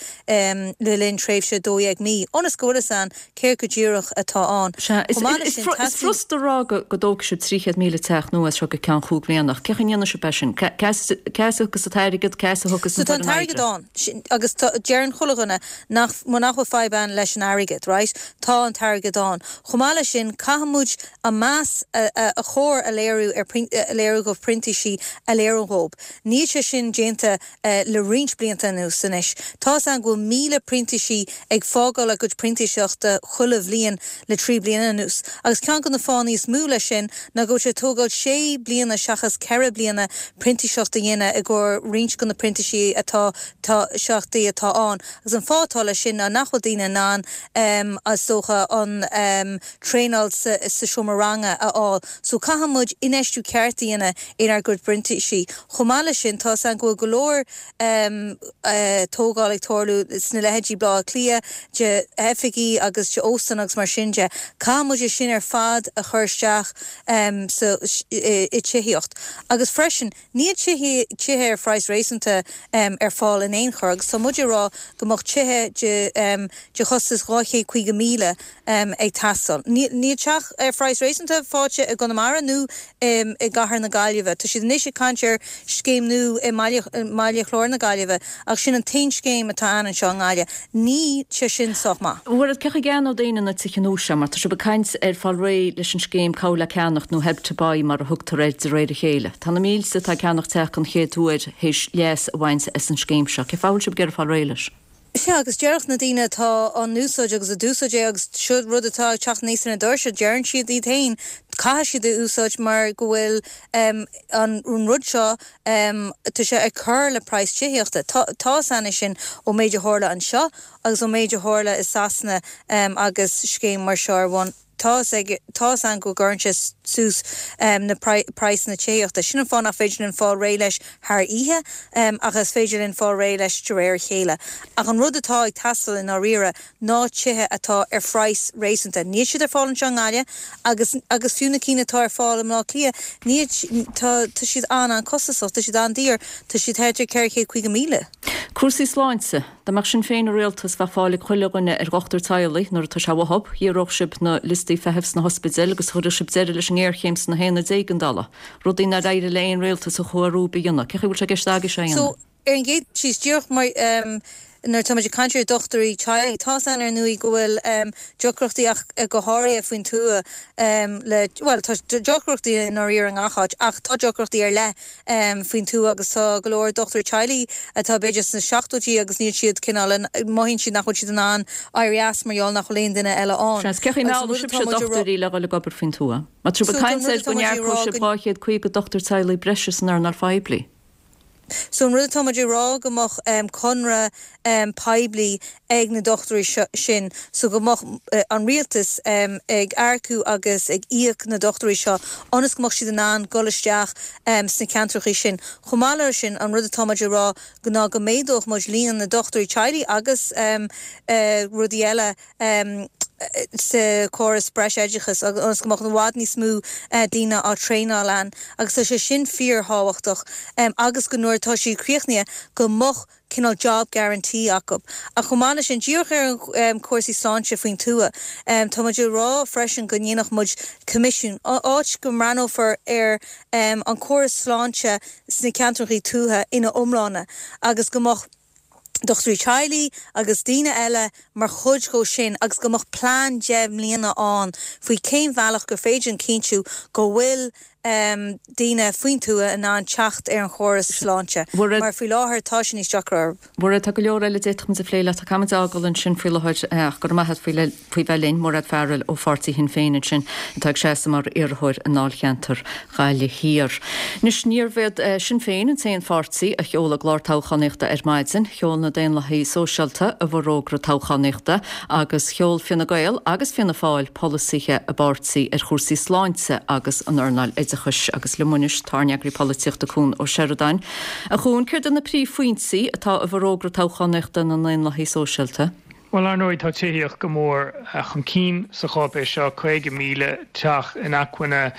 le linn tréimhse 12 mí, ionas go bhfuil fhios a'inn céard go díreach atá ann.
Sea, is furasta a rá go dtógfaidh sibh 300,000 teach nua as seo go ceann chúig bhliana, ach cén chaoi a ndéanfaidh sibh é sin? Cá as a thiocfas an t-airgead, cá as a thiocfas
So
an
tá an
fhoireann
t-airgead
oibre?
ann, sin, agus tá, deireann chuile dhuine nach, nach bhfuil fadhb ann leis an airgead, right? Tá an t-airgead ann. Chomh maith leis sin, caithfidh muid an meas a chóir a léiriú ar, a léiriú do phrintísigh a léiriú dhóibh. Níl sé sin déanta le roinnt blianta anuas anois. Tá's a'inn go bhfuil 1,000 printísigh ag fágáil a gcuid printíseachta chuile bhliain le 3 bliana anuas. Agus ceann de na fáthanna is mó leis sin ná go bhfuil sé ag tógáil 6 bliana seachas 4 bliana printíseacht a dhéanamh i gcomhair roinnt de na printísigh atá tá seachtaí atá ann. Agus an fáth atá leis sin ná nach bhfuil daoine in ann is dócha an traenáil sa seomra ranga a fháil. So caithfidh muid infheistiú ceart a dhéanamh inár gcuid printísigh. Chomh maith leis sin, tá's a'inn go bhfuil go leor tógáil ag tarlú sna leithéidí Baile Átha Cliath, de oifigí agus de óstáin agus mar sin de. Caithfidh muid é sin ar fad a chur isteach sa i tithíocht. Agus freisin, níl tithe ar phraghas réasúnta. réasúnta ar fáil in aon chor agus tá muid ag rá go mbeadh tithe de de chostas 250,000 ag teastáil. Níl teach ar phraghas réasúnta faighte i gConamara nó i gcathair na Gaillimhe. Tá siad anois ag caint ar scéim nua i mBaile Chláir na Gaillimhe ach sin an t-aon scéim atá ann anseo i nGaillimh. Níl sé sin sách maith.
Mhairéad, cén chaoi a gceannódh daoine na tithe nua seo mar tá sibh ag caint ar fáil réidh leis an scéim Cabhair le Ceannacht nó Help to Buy mar a thugtar air de réir a chéile. Tá na mílte atá ag ceannacht teach den chéad uair théis leas a bhaint as an scéim seo. Cén fáth a bhfuil sibh ag iarraidh fáil réidh leis?
Sea, agus déarfadh na daoine atá á n-úsáid agus a d'úsáid é agus seo rud atá ag teacht aníos ar na doirse, deireann siad iad féin, caithfidh siad é a úsáid mar go bhfuil an rud seo, tá sé ag cur le praghas tithíochta. Tá fhios a'inn é sin ón méid a tharla anseo agus ón méid a tharla i Sasana agus scéim mar seo ar bun. Tá fhios ag, tá fhios a'inn go gcuireann sé suas na praghsanna tithíochta. Sin an fáth nach féidir linn fáil réidh leis thar oíche, ach is féidir linn fáil réidh leis de réir a chéile. Ach an rud atá ag teastáil i ndáiríre ná tithe atá ar phraghas réasúnta. Níl siad ar fáil anseo i nGaillimh agus, agus fiú na cinn atá ar fáil i mBleá Cliath, níl, tá, tá siad an-an-costasach, tá siad an-daor, tá siad thart ar 450,000.
Cúrsaí sláinte. Dá mbeadh Sinn Féin i rialtas bheadh fáil ag chuile dhuine ar dhochtúir teaghlaigh nuair atá sé uathub, dhíorthódh sibh na liostaí feithimh sna hospidéil agus chuirfeadh sibh deireadh leis an ngéarchéim sna haonaid éigeandála. Rudaí nár éirigh le aon rialtas a chuaigh romhaibh a dhéanamh. Cén chaoi a bhfuil sé i gceist agaibh seo a
dhéanamh? So, ar an gcéad dul síos, díreach mar nuair atá muid ag caint ar dhochtúirí teaghlaigh, tá 's a'inn ar ndóigh go bhfuil deacrachtaí ach go háirithe faoin tuath le, bhuel tá deacrachtaí i ndáiríre i ngach áit ach tá deacrachtaí ar leith faoin tuath agus tá go leor dochtúirí teaghlaigh atá b'fhéidir sna seachtóidí agus níl siad cineál in, mothaíonn siad nach bhfuil siad in ann éirí as mar gheall nach bhfuil aon duine eile ann.
Seans. Cén chaoi a
meallfaidh
sibhse dochtúirí le dhul ag obair faoin tuath? Mar tá sibh ag caint ar go n-earcóidh sibh 250 dochtúir teaghlaigh breise san earnáil phoiblí.
So an rud atá muid ag rá go mbeadh conradh poiblí ag na dochtúirí sin so go mbeadh an rialtas ag earcú agus ag íoc na dochtúirí seo ionas go mbeadh siad in ann dul isteach sna ceantrachaí sin. Chomh maith leis sin, an rud atá muid ag rá ná go méadódh muid líon na dochtúirí teaghlaigh agus rudaí eile sa chóras breisoideachais ionas go mbeadh i bhfad níos mó daoine á traenáil ann agus tá sé sin fíorthábhachtach agus go nuair atá siad críochnaithe go mbeadh cineál job guarantee acu. Ach chomh maith leis sin, díreach ar chúrsaí sláinte faoin tuath, tá muid ag rá freisin go ndéanfadh muid coimisiún, áit go mbreathnófar ar an córas sláinte sna ceantrachaí tuaithe ina iomláine agus go mbeadh dochtúirí teaghlaigh agus daoine eile mar chuid dhó sin agus go mbeadh plean 10 mbliana ann faoi cén bhealach gur féidir linn cinntiú go bhfuil daoine faoin tuath in ann teacht ar an chóras sláinte mar faoi láthair tá sé níos deacra
orthu. Mairéad, tá go leor eile a d'fhéadfadh muid a phlé leat ach caithfidh muid a fhágáil ansin faoi láthair ach go raibh maith agat faoi faoi bheith linn, Mairéad Farrell ó pháirtí Shinn Féin ansin atá ag seasamh mar iarrthóir i ndáilcheantar Ghaillimh Thiar. Anois, níorbh iad Sinn Féin an t-aon pháirtí a sheol a gclár toghchánaíochta ar maidin. Sheol na Daonlathaithe Sóisialta a bhforógra toghchánaíochta agus sheol Fine Gael agus Fianna Fáil polasaithe a bpáirtí ar chúrsaí sláinte agus an earnáil oideachais. Agus liom anois tá ár n-eagraí polaitíochta Cuan Ó Seireadáin. A Chuain, céard iad na príomhphointí atá i bhforógra toghchánaíochta na nDaonlathaithe Sóisialta?
Bhuel, ar ndóigh, tá tithíocht go mór chun cinn sa cháipéis seo, 50,000 teach inacmhainne,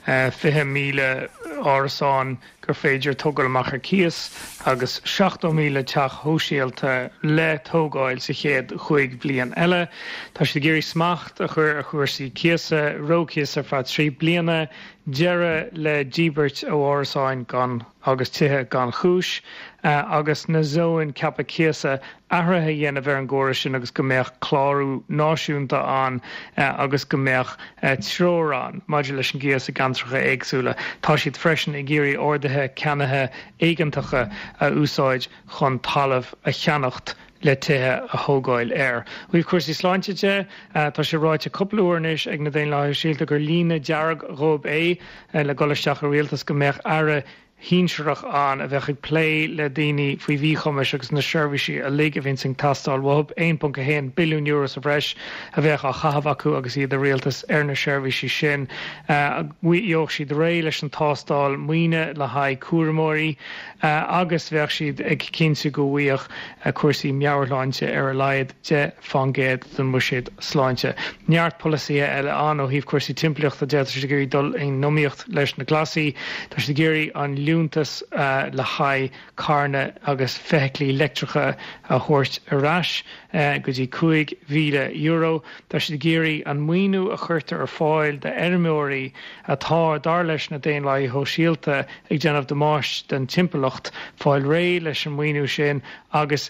20,000 árasán gur féidir tógáil amach ar cíos agus 70,000 teach shóisialta le tógáil sa chéad chúig bhliain eile. Tá siad ag iarraidh smacht a chur ar chúrsaí cíosa, reo-chíos ar feadh 3 bliana, deireadh le díbirt ó árasáin gan agus tithe gan chúis, agus na zóin ceaptha cíosa athruithe a dhéanamh ar an gcóras sin agus go mbeadh clárú náisiúnta ann agus go mbeadh treoir ann maidir leis an gcíos i gceantracha éagsúla. Tá siad freisin ag iarraidh orduithe ceannaithe éigeantacha a úsáid chun talamh a cheannacht le tithe a thógáil air. Ó thaobh cúrsaí sláinte de, tá sé ráite cúpla uair anois ag na Daonlathaithe Sóisialta gur líne dearg dhóibh é le dul isteach i rialtas go mbeadh aire shinsearach ann a bheadh ag plé le daoine faoi mhíchumais agus na seirbhísí uilig a bhíonns ag teastáil uathu. €1.1 billiún sa bhreis a bheadh á chaitheamh acu agus iad i rialtas ar na seirbhísí sin. Gheobhadh siad réidh leis an tástáil maoine le haghaidh cúramóirí agus bheadh siad ag cinntiú go bhfaigheadh cúrsaí meabhairshláinte ar a laghad 10% den mbuiséad sláinte. Neart polasaithe eile ann ó thaobh cúrsaí timpeallachta de, tá siad ag iarraidh dul in iomaíocht leis na Glasaigh, tá siad ag iarraidh an. liúntas le haghaidh carranna agus feithiclí leictreacha a thabhairt ar ais go dtí €5,000. Tá siad ag iarraidh an maoiniú a chuirtear ar fáil d'fheirmeoirí atá, dar leis na Daonlathaithe Shóisialta, ag déanamh damáiste don timpeallacht, fáil réidh leis an maoiniú sin agus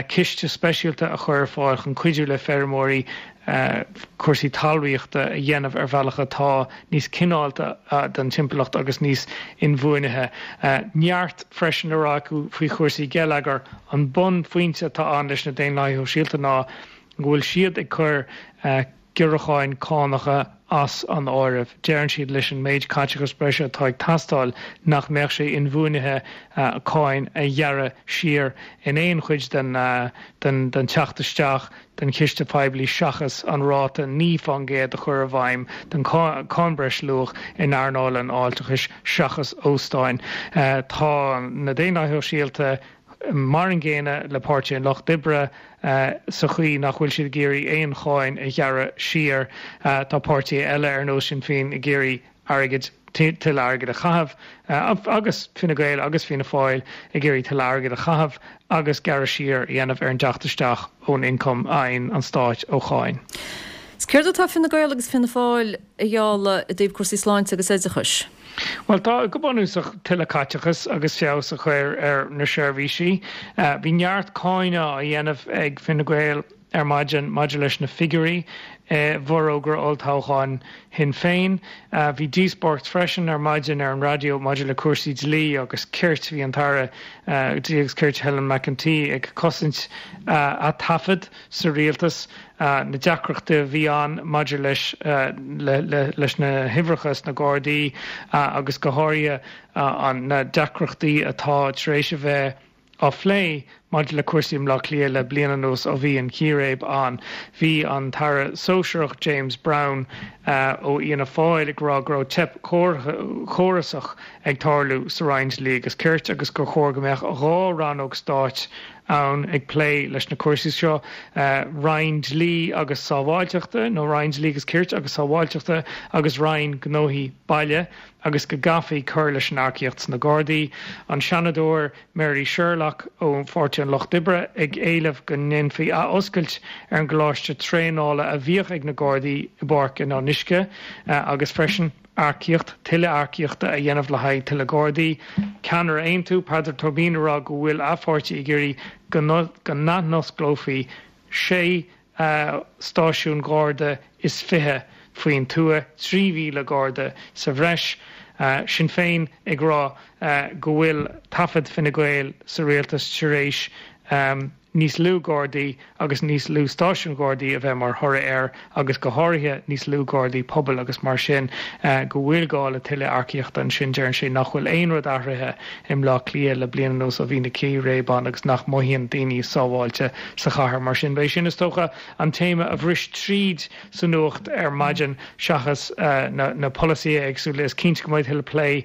ciste speisialta a chur ar fáil chun cuidiú le feirmeoirí cúrsaí talmhaíochta a dhéanamh ar bhealach atá níos cineálta don timpeallacht agus níos inbhuanaithe. Neart freisin le rá acu faoi chúrsaí geilleagair. An bunphointe atá ann leis na Daonlathaithe Shóisialta ná go bhfuil siad ag cur giorrúcháin cánacha as an áireamh. Deireann siad leis an méid caiteachas breise atá ag teastáil nach mbeadh sé inbhuanaithe cáin a ghearradh siar in aon chuid den den teacht isteach den chiste poiblí seachas an ráta 9% a chur i bhfeidhm den cháin breisluach in earnáil an fháilteachais seachas óstáin. Tá na Daonlathaithe Shóisialta mar an gcéanna le Páirtí an Lucht Oibre sa chaoi nach bhfuil siad ag iarraidh aon cháin a ghearradh siar. Tá páirtithe eile ar nós Sinn Féin ag iarraidh airgid, tuilleadh airgid a chaitheamh agus Fine Gael agus Fianna Fáil ag iarraidh tuilleadh airgid a chaitheamh agus gearradh siar a dhéanamh ar an dteacht isteach ón ioncam a fhaigheann an Stát ó cháin.
Is céard atá Fine Gael agus Fianna Fáil a ghealladh i dtaobh cúrsaí sláinte agus oideachais?
Bhuel, tá, go bunúsach, tuilleadh caiteachais agus feabhas a chur ar na seirbhísí. Bhí neart cáineadh á dhéanamh ag Fine Gael ar maidin maidir leis na figiúirí i bhforógra olltoghcháin Shinn Féin. Bhí díospóireacht freisin ar maidin ar an raidió maidir le cúrsaí dlí agus cirt. Bhí an tAire Dlí agus Cirt Helen McEntee ag cosaint a taifead sa rialtas, na deacrachtaí a bhí ann maidir leis leis na huimhreacha sna Gardaí agus go háirithe na deacrachtaí atá tar éis a bheith á phlé maidir le cúrsaí i mBleá Cliath le bliain anuas ó bhí an chíréib ann. Bhí an tAire Sóisearach James Browne ó Fhianna Fáil ag rá go raibh teip chórasach ag tarlú sa Roinn Dlí agus Cirt agus gur chóir go mbeadh 2 rannóg stáit ann ag plé leis na cúrsaí seo, Roinn Dlí agus Sábháilteachta, nó Roinn Dlí agus Cirt agus Sábháilteachta agus Roinn Gnóthaí Baile, agus go gcaithfí cur leis an earcaíocht sna Gardaí. An Seanadóir Mary Sherlock ó Pháirtí an Lucht Oibre ag éileamh go ndéanfaí athoscailt ar an gcoláiste traenála a bhíodh ag na Gardaí i bPáirc an Fhionnuisce agus freisin, earcaíocht, tuilleadh earcaíochta a dhéanamh le haghaidh tuilleadh Gardaí. Ceannaire Aontú, Peadar Tóibín ag rá go bhfuil a pháirtí ag iarraidh go n-athnosclófaí sé stáisiún Gharda is 20 faoin tuath, 3,000 Garda sa bhreis. Sinn Féin ag rá go bhfuil taifead Fine Gael sa rialtas tar éis níos lú Gardaí agus níos lú stáisiún Gardaí a bheith mar thoradh air agus go háirithe níos lú Gardaí pobail agus mar sin go bhfuil gá le tuilleadh earcaíochta ansin. Deireann sé nach bhfuil aon rud athraithe i mBleá Cliath le bliain anuas ó bhí na círéib ann agus nach mothaíonn daoine sábháilte sa chathair. Mar sin b'é sin is dócha an téama a bhris tríd sa nuacht ar maidin seachas na polasaithe éagsúla. Is cinnte go mbeidh tuilleadh plé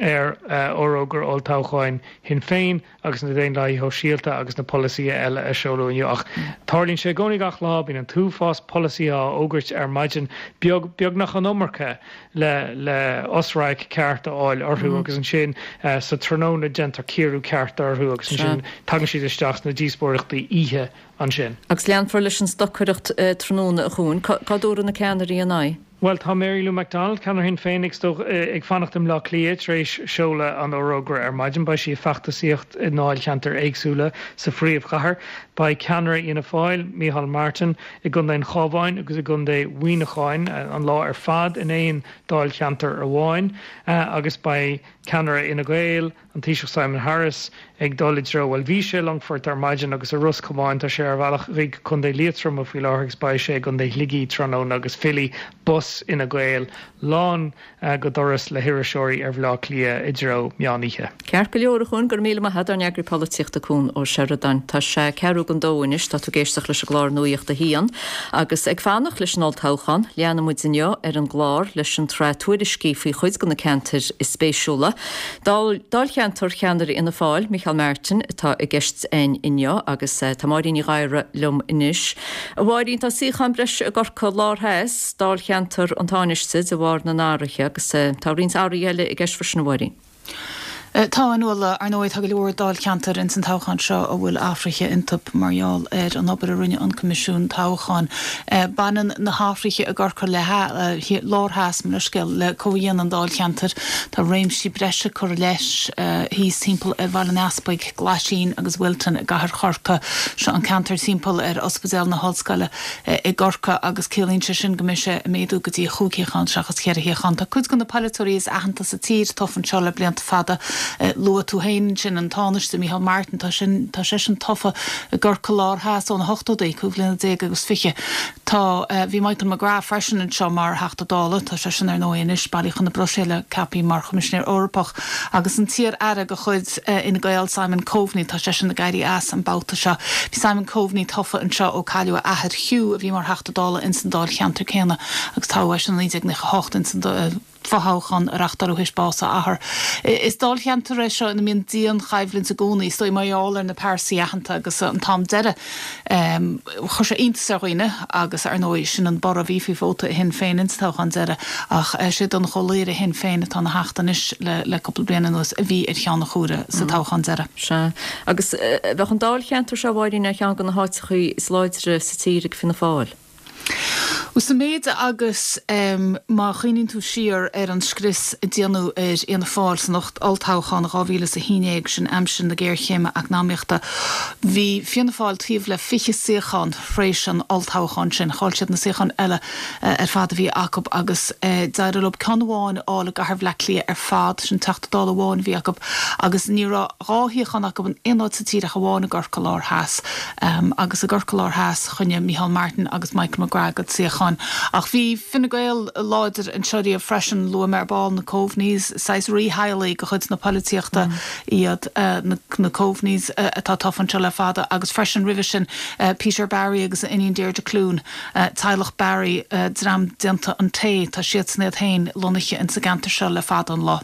ar fhorógra olltoghcháin Shinn Féin agus na Daonlathaithe Shóisialta agus na polasaithe eile a seoladh inniu. Ach tarlaíonn sé i gcónaí gach lá, bíonn an t-uafás polasaithe á fhógairt ar maidin, beag, beagnach an iomarca le le osradharc ceart a fháil orthu agus ansin sa tráthnóna déantar cíoradh ceart orthu agus ansin tagann siad isteach sna díospóireachtaí oíche ansin.
Agus leanfar leis an stocaireacht tráthnóna, a Chuain. Cá dtabharfaidh na ceannairí a n-aghaidh?
Bhuel, tá Mary Lou McDonald, ceannaire Shinn Féin, ag fanacht i mBleá Cliath tar éis seoladh an fhorógra ar maidin. Beidh sí ag feachtasaíocht i ndáilcheantair éagsúla sa phríomhchathair. Beidh ceannaire Fhianna Fáil, Micheál Martin, i gContae an Chabháin agus i gContae Mhuineacháin an lá ar fad in aon dáilcheantar amháin agus beidh ceannaire Fhine Gael, An Taoiseach Simon Harris ag dul i dtreo, bhuel, bhí sé i Longfort ar maidin agus i Ros Comáin, tá sé ar a bhealach chuig Contae Liatroma faoi láthair agus beidh sé i gContae Shligigh tráthnóna agus fillfidh bus Fhine Gael lán go doras le hiriseoirí ar Bhleá Cliath i dtreo meán oíche.
Ceart go leor, a Chuain, go raibh míle maith agat, ár n-eagraí polaitíochta Cuan Ó Seireadáin. Tá sé ceathrú don dó anois, tá tú ag éisteacht leis an gclár Nuacht a hAon. Agus ag fanacht leis an olltoghchán, leanfaidh muid inniu ar an gclár leis an tsraith tuairiscí faoi chuid de na ceantair is spéisiúla. Dáilcheantar cheannaire Fhianna Fáil, Micheál Martin, atá i gceist againn inniu agus tá Máirín Ní Ghadhra liom anois. A Mháirín, tá suíochán breise i gCorcaigh Lár Theas, dáilcheantar an Tánaiste, de bharr na n-athruithe agus tá roinnt athruithe eile i gceist freisin, a Mháirín.
Tá, a Nuala. Ar ndóigh, tá go leor dáilcheantar ins an toghchán seo a bhfuil athruithe iontu mar gheall ar an obair a rinne an Coimisiún Toghcháin. Baineann na hathruithe i gCorcaigh Lár Theas, mo leithscéal, le comhdhéanamh an dáilcheantair. Tá réimsí breise curtha leis thíos timpeall ar Bhaile an Easpaig, Glaisín agus Wilton i gcathair Chorcaí. Seo an ceantar timpeall ar Ospidéal na hOllscoile. i gCorcaigh agus ciallaíonn sé sin go mbeidh sé ag méadú go dtí chúig shuíochán seachas cheithre shuíochán. Tá cuid de na polaiteoirí is aitheanta sa tír tofa anseo le blianta fada. Luaigh tú féin ansin an Tánaiste Micheál Martin, tá sin, tá seisean tofa i gCorcaigh Lár Theas ó na hochtóidí, cúig bhliana déag agus fiche. Tá, bhí Michael McGrath freisin anseo mar Theachta Dála, tá seisean ar ndóigh anois bailithe chun na Bruiséile, ceaptha mar Choimisinéir Eorpach. Agus an t-iar-aire de chuid Fhine Gael, Simon Coveney, tá seisean ag éirí as an babhta seo. Bhí Simon Coveney tofa anseo ó cailleadh a athair, Hugh, a bhí mar Theachta Dála ins an dáilcheantar céanna agus toghadh eisean i 1998 ins an fothoghchán a reachtáileadh théis bás a athar. Is dáilcheantar é seo ina mbíonn dian-choimhlint i gcónaí, is dóigh mar gheall ar na pearsaí aitheanta agus an t-am deiridh Chuir sé iontas ar dhaoine agus, ar ndóigh, sin an borradh a bhí faoi vóta Shinn Féin ins an toghchán deiridh ach sé Donnchadh Ó Laoghaire Shinn Féin atá ina Theachta anois le cúpla bliain anuas a bhí ar cheann an chomhairimh sa toghchán deiridh.
Sea. Agus bheadh an dáilcheantar seo, a Mháirín, ar cheann de na háiteachaí is láidre sa tír ag Fianna Fáil.
Sa méid agus má chuimhníonn tú siar ar an scrios a déanadh ar Fhianna Fáil san olltoghchán 2011, sin aimsir na géarchéime eacnamaíochta, bhí Fianna Fáil taobh le 20 suíochán thréis an olltoghcháin sin. Chaill siad na suíocháin eile ar fad a bhí acu agus d'éirigh leo ceann amháin a fháil i gcathair Bhaile Átha Cliath ar fad, sin Teachta Dála amháin a bhí acu agus ní raibh dhá shuíochán acu in aon áit sa tír ach amháin i gCorcaigh Lár Theas. Agus i gCorcaigh Lár Theas, choinnigh Micheál Martin agus Michael McGrath a gcuid suíocháin. Ach bhí Fine Gael láidir anseo riamh freisin. Luaigh mé ar ball na Coveneys, saghas rítheaghlaigh de chuid na polaitíochta iad na Coveneys atá tofa anseo le fada agus freisin roimhe sin Peter Barry agus a iníon Deirdre Clune. Teaghlach Barry, dream déanta an tae, tá siadsan iad féin lonnaithe ins an gceantar seo le fada an lá.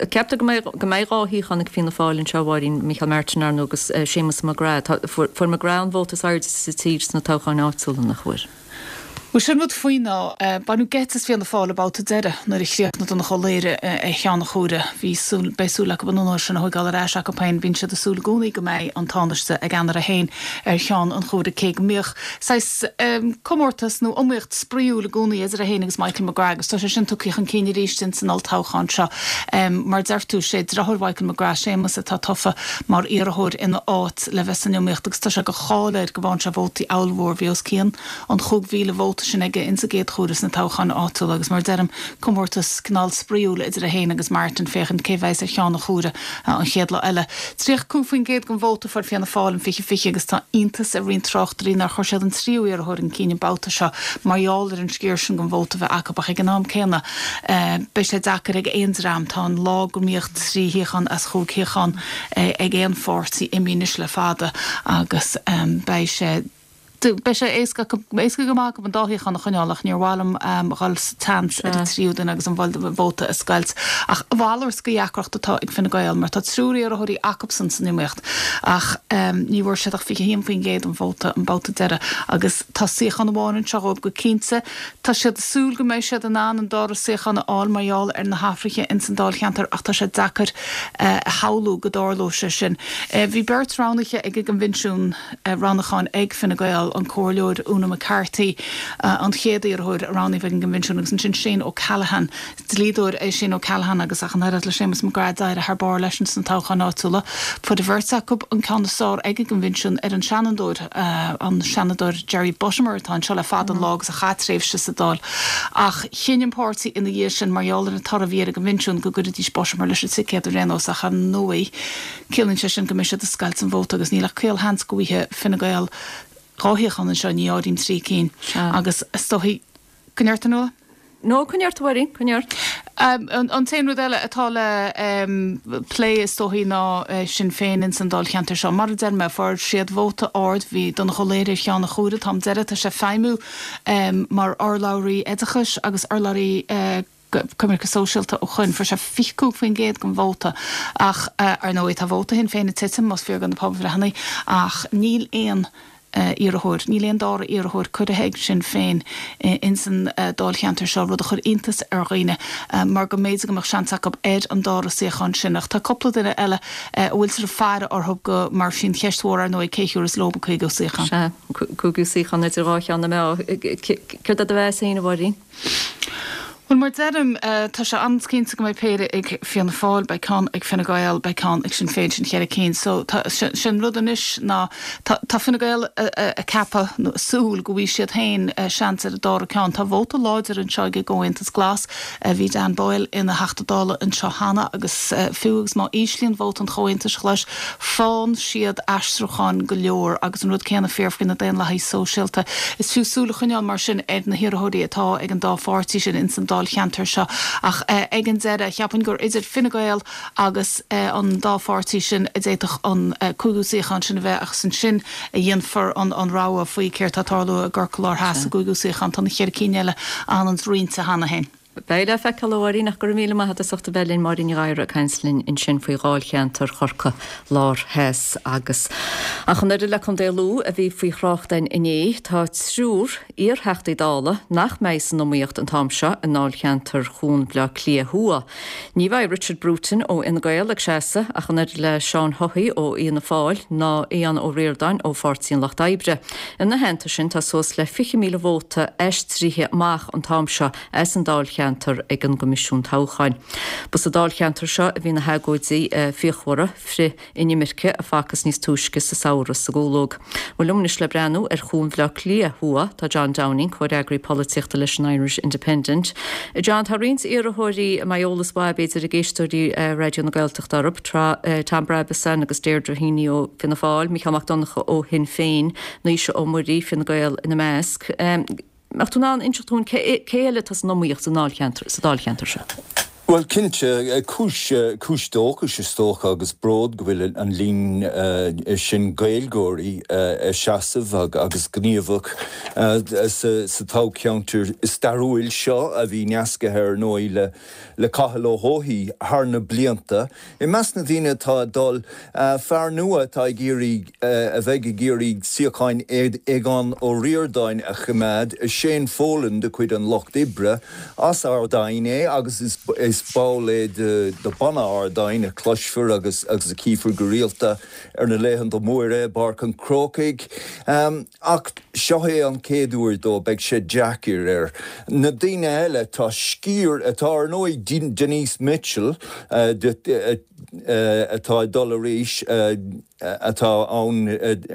Ceaptar go mbeidh go mbeidh 2 shuíochán ag Fianna Fáil anseo, a Mháirín, Micheál Martin, ar ndóigh, agus Séamus McGrath. Tá, fuair, fuair McGrath an vóta is airde sa tír sna toghcháin áitiúla, nach bhfuair?
Bhuel, sin rud faoi ná, baineadh geit as Fianna Fáil an babhta deiridh nuair a chríochnaigh Donnchadh Ó Laoghaire ar cheann an chomhairimh. Bhí súil, beidh súil acu an onóir sin a thóigeáil ar ais acu féin. Bíonn siad ag súil i gcónaí go mbeidh an Tánaiste a gceannaire féin ar cheann an chomhairimh cé go mbíodh saghas comórtas nó iomaíocht spraíúil i gcónaí idir é féin agus Michael McGrath agus tá sé sin tugtha chun cinn arís ins an olltoghchán seo. Mar deir tú, sé deartháir Mhichael McGrath, Séamus, atá tofa mar iarrthóir ina áit le bheith san iomaíocht agus tá sé de cháil air go bhfaigheann sé vótaí ollmhór. Bhí os cionn an 5,000 vóta sin aige ins an gcéad chomhaireamh sna toghcháin áitiúla agus mar a deirim, comórtas cineál spraíúil idir é féin agus Martin féachaint cé bheas ar cheann an chomhairimh an chéad lá eile. 35% den vóta a fuair Fianna Fáil in 2020 agus tá iontas ar roinnt tráchtairí nár chuir siad an tríú iarrthóir chun cinn an babhta seo mar gheall ar an sciar sin den vóta a bheith acu ach ag an am céanna beidh sé deacair ag aon dream. Tá an lá go mbíodh trí shuíochán as chúig shuíochán ag aon pháirtí imithe anois le fada agus beidh sé Beidh sé éasca acu, éasca go maith acu an dá shuíochán a choinneáil ach níor mhaith liom dhul sa tseans ar an tríú duine agus an vóta a scoilt. Ach a mhalairt de dheacracht atá ag Fine Gael mar tá triúr iarrthóirí acubsan san iomaíocht ach ní bhfuair siad ach 21% den vóta an babhta deiridh agus tá suíochán amháin anseo dhóibh go cinnte. Tá siad ag súil go mbeidh siad in ann an dara suíochán a fháil mar gheall ar na hathruithe ins an dáilcheantar ach tá sé deacair a shamhlú go dtarlódh sé sin. Bhí beirt roghnaithe ag an gCoinbhinsiún. roghnúcháin ag Fine Gael, an Comhairleoir Úna McCarthy, an chéad iarrthóir a roghnaíodh ag an gCoinbhinsiún agus ansin Shane O'Callaghan. Dlíodóir é Shane O'Callaghan agus ach an oiread le Séamus McGrath d'éirigh thar barr leis sna toghcháin áitiúla. Fuair an bheirt acu an ceann is fearr ag an gCoinbhinsiún ar an Seanadóir, an Seanadóir Jerry Buttimer atá anseo le fada an lá agus a chaith tréimhse sa Dáil. Ach chinn an páirtí ina dhiaidh sin, mar gheall ar an toradh a bhí ar an gCoinbhinsiún, go gcuirfidís Buttimer leis an ticéad ar aon nós ach ar ndóigh, Ciallaíonn sé sin go mbeidh siad ag scoilt an vóta agus níl ach caolsheans go bhfaighidh Fine Gael 2 shuíochán anseo, ní áirím trí cinn, agus is dóichí go ndeir tú Nuala?
No, coinnigh ort a Mháirín, coinnigh ort.
An t-aon rud eile atá le plé is dóichí ná Sinn Féin ins an dáilcheantar seo. Mar a deir mé, fuair siad vóta ard, bhí Donnchadh Ó Laoghaire ar cheann an chomhairimh an t-am deiridh, tá sé ag feidhmiú mar urlabhraí oideachais agus urlabhraí coimirce sóisialta ó shoin. Fuair sé 25% den vóta ach, ar ndóigh, tá vóta Shinn Féin ag titim, más fíor do na pobalbhreitheanna, ach níl aon. iarrthóir. Níl aon dara iarrthóir curtha ag Sinn Féin ins an dáilcheantar seo, rud a chuir iontas ar dhaoine mar go mb'fhéidir go mbeadh seans acu ar an dara suíochán sin. Ach tá cúpla duine eile a bhfuiltear ag faire orthu go mar sin cheist mhór ar ndóigh cé thiúrfas leo an cúigiú suíochán.
Sea, cúigiú suíochán idir dhá cheann na meá. Céard é do mheas féin, a Mháirín?
Bhuel, mar deirim, tá sé an-chinnte go mbeidh péire ag Fianna Fáil, beidh ceann ag Fine Gael, beidh ceann ag Sinn Féin, sin cheithre cinn. So, tá, sé an rud anois ná, tá, tá Fine Gael ag ceapadh, nó ag súil, go bhfaighidh siad féin seans ar an dara ceann. Tá vóta láidir anseo ag an gComhaontas Glas. Bhí Dan Boyle ina Theachta Dála anseo cheana agus fiú agus má íslíonn vóta an Chomhaontais Ghlais, faigheann siad aistriúcháin go leor agus an rud céanna fíor faoi na Daonlathaithe Sóisialta. Is fiú súil a choinneáil mar sin ar na hiarrthóirí atá ag an dá pháirtí sin ins an dáilcheantar seo ach ag an deireadh cheapfainn gur idir Fine Gael agus an dá pháirtí sin a d'fhéadfadh an cúigiú suíochán sin a bheith agus ansin a dhéanfar an rogha faoi céard tá ag tarlú i gCorcaigh Láir Theas sa gcúigiú suíochán. Tá na cheithre cinn eile an-roinnte cheana féin.
Beidh le feiceáil, a Mháirín, ach go raibh míle maith agat as ucht a bheith linn, Máirín Ní Ghadhra ag caint linn ansin faoi dháilcheantar Chorcaí Lár Theas agus ach an oiread le Contae Lú a bhí faoi thrácht againn inné, tá triúr iar-Theachtaí Dála nach mbeidh san iomaíocht an t-am seo i ndáilcheantar Chuan Bhaile Átha Cliath Thuaidh. Ní bheidh Richard Bruton ó Fhine Gael ag seasamh ach an oiread le Seán Haughey ó Fhianna Fáil ná Aodhán Ó Ríordáin ó Pháirtí an Lucht Oibre. Ina theannta sin tá suas le 20,000 vóta aistrithe amach an t-am seo as an dáilcheantar ag an gCoimisiún Toghcháin. Ba sa dáilcheantar seo a bhí na hagóidí fíochmhara frith-inimirce a facthas níos túisce sa samhradh sa gCúlóg. Bhuel liom anois le breathnú ar Chuan Bhaile Átha Cliath Thuaidh tá John Downing, comhfhreagraí polaitíochta leis an Irish Independent. John, tá roinnt iarrthóirí a mbeidh eolas mhaith b'fhéidir ag éisteoirí Raidió na Gaeltachta orthu, Tom Brabazon agus Deirdre Heaney ó Fianna Fáil, Mícheál Mac Donncha ó Shinn Féin, Naoise Ó Muirí, Fine Gael ina measc. Mbeadh tú in ann inseacht dúinn cé eile atá san iomaíocht sa dáilcheantar seo?
Bhuel, cinnte, cúis, cúis dóchais is dócha agus bród go bhfuil an líon sin Gaeilgeoirí ag seasamh agus gníomhach sa toghcheantar stairiúil seo a bhí nasctha ar ndóigh le le Cathal Ó hEochaidh thar na blianta. I measc na ndaoine atá ag dul, fear nua atá ag iarraidh, a bheidh ag iarraidh suíochán Aogán Ó Ríordáin a choimeád, Shane Folan de chuid an Lucht Oibre. As Ard Aidhin é agus is ball é de Banna Ard Aidhin a chloisfear agus a chífear go rialta ar na laethanta móra i bPáirc an Chrócaigh. Ach seo é an chéad uair dó, beidh sé deacair air. Na daoine eile, tá sciar, atá ar ndóigh Denise Mitchell atá ag dul arís, atá ann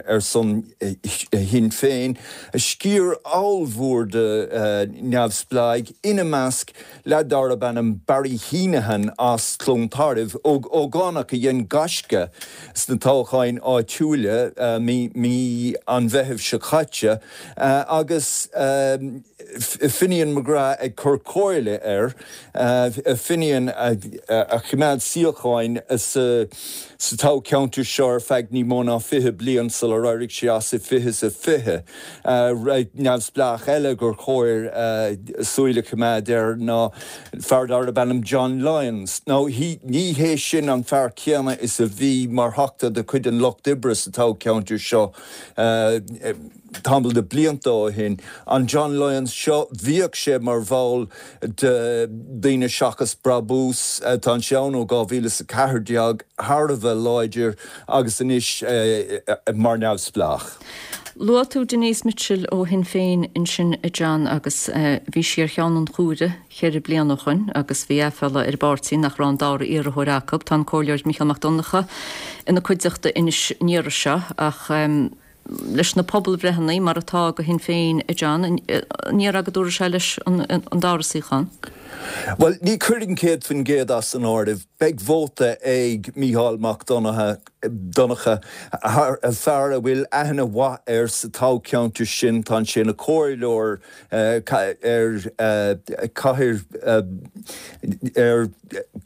ar son Shinn Féin, sciar ollmhór de neamhspleáigh, ina measc Leaid darb ainm Barry Heneghan as Cluain Tairbh, ógánach a dhein gaisce sna toghcháin áitiúla mí an Mheithimh seo caite, agus Finian McGrath ag cur comhairle air, Finian a choimeád suíocháin sa toghcheantar seo ar feadh ní mó ná 20 bliain sular éirigh sé as i 2020. Neamhspleách eile gur chóir súil a choimeád air ná fear darb ainm John Lyons. Now ní hé sin an fear céanna is a bhí mar Theachta de chuid an Lucht Oibre sa toghcheantar seo tamall de blianta ó shin. An John Lyons seo, bhíodh sé mar bhall de Daoine Seachas Brabús, tá sé ann ó 2014, thar a bheith láidir agus anois mar neamhspleách.
Luaigh tú Denise Mitchell ó Shinn Féin ansin a John agus bhí sí ar cheann an chomhairimh cheithre bliana ó shoin agus bhí aiféala ar an bpáirtí nach raibh an dara iarrthóir acu. Tá an Comhairleoir Mícheál Mac Donncha ina cuideachta anois an iarraidh seo ach leis na pobalbhreitheanna mar atá do Shinn Féin a John, an ndéarfá go dtabharfaidh sé leis an dara suíochán?
Bhuel, ní chuirfinn 100% as an áireamh. Beidh vóta ag Mícheál Mac Donncha. Donncha, fear a bhfuil aithne mhaith air sa toghcheantar sin, tá sé ina chomhairleoir ar chathair ar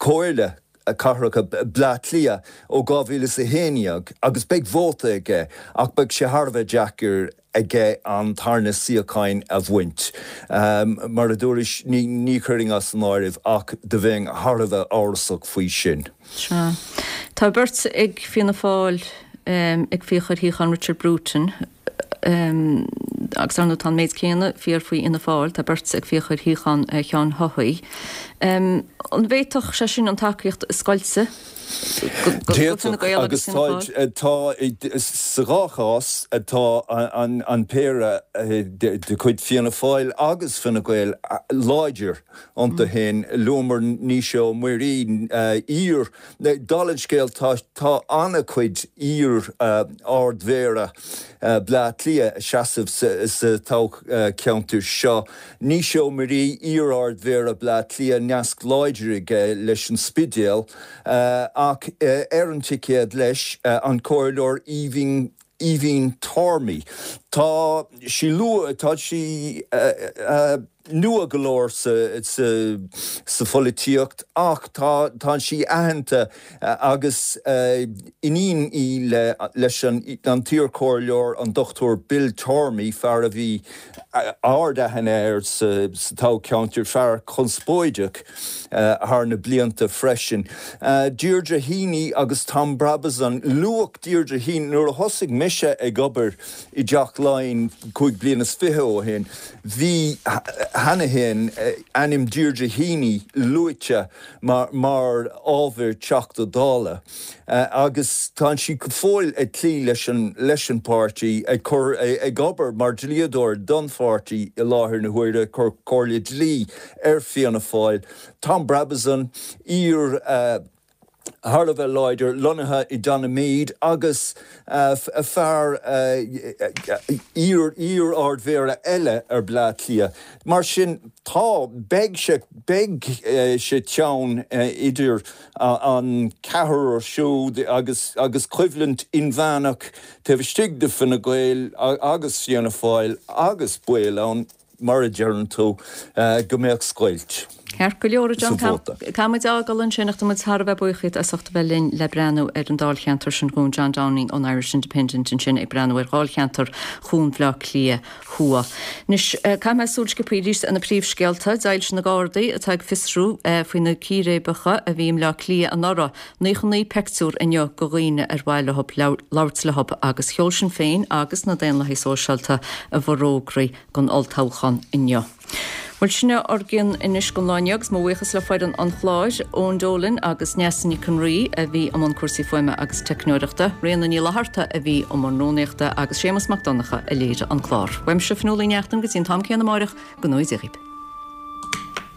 Chomhairle Cathrach Bhaile Átha Cliath ó 2011 agus beidh vóta aige ach beidh sé thar a bheith deacair aige an tarna suíocháin a bhaint. Mar a dúrais, ní chuirfinn as an áireamh ach do bheinn thar a bheith amhrasach faoi sin.
Sea. Tá beirt ag Fianna Fáil ag fiach ar shuíochán Richard Bruton. Agus ar ndóigh tá an méid céanna fíor faoi Fhianna Fáil, tá beirt ag fiach ar shuíochán Sheáin Haughey. An bhféadfadh sé sin an tacaíocht a scoilteadh
go Fine Gael agus Fianna Fáil? Tá, sa dhá chás, tá an péire de chuid Fianna Fáil agus Fine Gael láidir iontu féin. Luamar Naoise Ó Muirí, iar, Dála an scéil, tá tá an-chuid iar-Ard-Mhéara Bleá Cliath ag seasamh sa toghcheantar seo. Naoise Ó Muirí, iar-Ard-Mhéara Bleá Cliath, nasc láidir aige leis an Spidéal, ach ar an ticéad leis, an Comhairleoir Aoibhinn Aoibhín Tormey. Tá sí luath, tá sí nua go leor sa pholaitíocht ach tá tá sí aitheanta agus iníon í leis an t-iarchomhairleoir an Dr Bill Tormey, fear a bhí ard-aithne air sa toghcheantar, fear conspóideach thar na blianta freisin. Deirdre Heaney agus Tom Brabazon, Luadh Deirdre Heaney nuair a thosaigh mise ag obair i dTeach Laighean 25 bliana ó shin, bhí cheana féin ainm Deirdre Heaney luaite mar ábhar Teachta Dála agus tá sí go fóill ag cloí leis an leis an bpáirtí, ag cur ag obair mar dhlíodóir don pháirtí i láthair na huaire, ag cur comhairle dlí ar Fianna Fáil. Tom Brabazon, iar thar a bheith láidir, lonnaithe i Donaghmede agus fear iar-Ard-Mhéara eile ar Bleá Cliath. Mar sin, tá, beidh sé, beidh sé teann idir an ceathrar siúd agus agus coimhlint inmheánach taobh istigh de Fine Gael agus Fianna Fáil agus baol ann. mar a deireann tú, go mbeadh scoilt
Ceart go leor, a John, sa vóta. Caithfidh muid a fhágáil ansin ach tá muid thar a bheith buíoch díot as ucht a bheith linn le breathnú ar an dáilcheantar sin dhúinn. John Downing ón Irish Independent ansin ag breathnú ar dháilcheantar Chuan Bhaile Átha Cliath Thuaidh. Anois, caithfidh mé súil sciobtha arís ar na príomhscéalta. D'éiligh na Gardaí atá ag fiosrú faoi na círéibeacha a bhí i mBleá Cliath anuraidh 99 peictiúr inniu de dhaoine ar mhaith leo labhairt leo agus sheol Sinn Féin agus na Daonlathaigh Sóisialta a bhforógraí don olltoghchán inniu. Bhuel, sin é ár gcion anois don lá inniu agus mo bhuíochas le foireann an chláir, Eoin Dolan agus Neasa Nic an Rí a bhí i mbun cúrsaí fuaime agus teicneoireachta, Ríona Ní Fhlatharta a bhí i mbun rúnaíochta agus Séamus Mac Donncha a léirigh an clár. Uaimse, Fionnuala Ní Neachtain, go dtí an t-am céanna amáireach, go ngnóthaí Dia dhaoibh.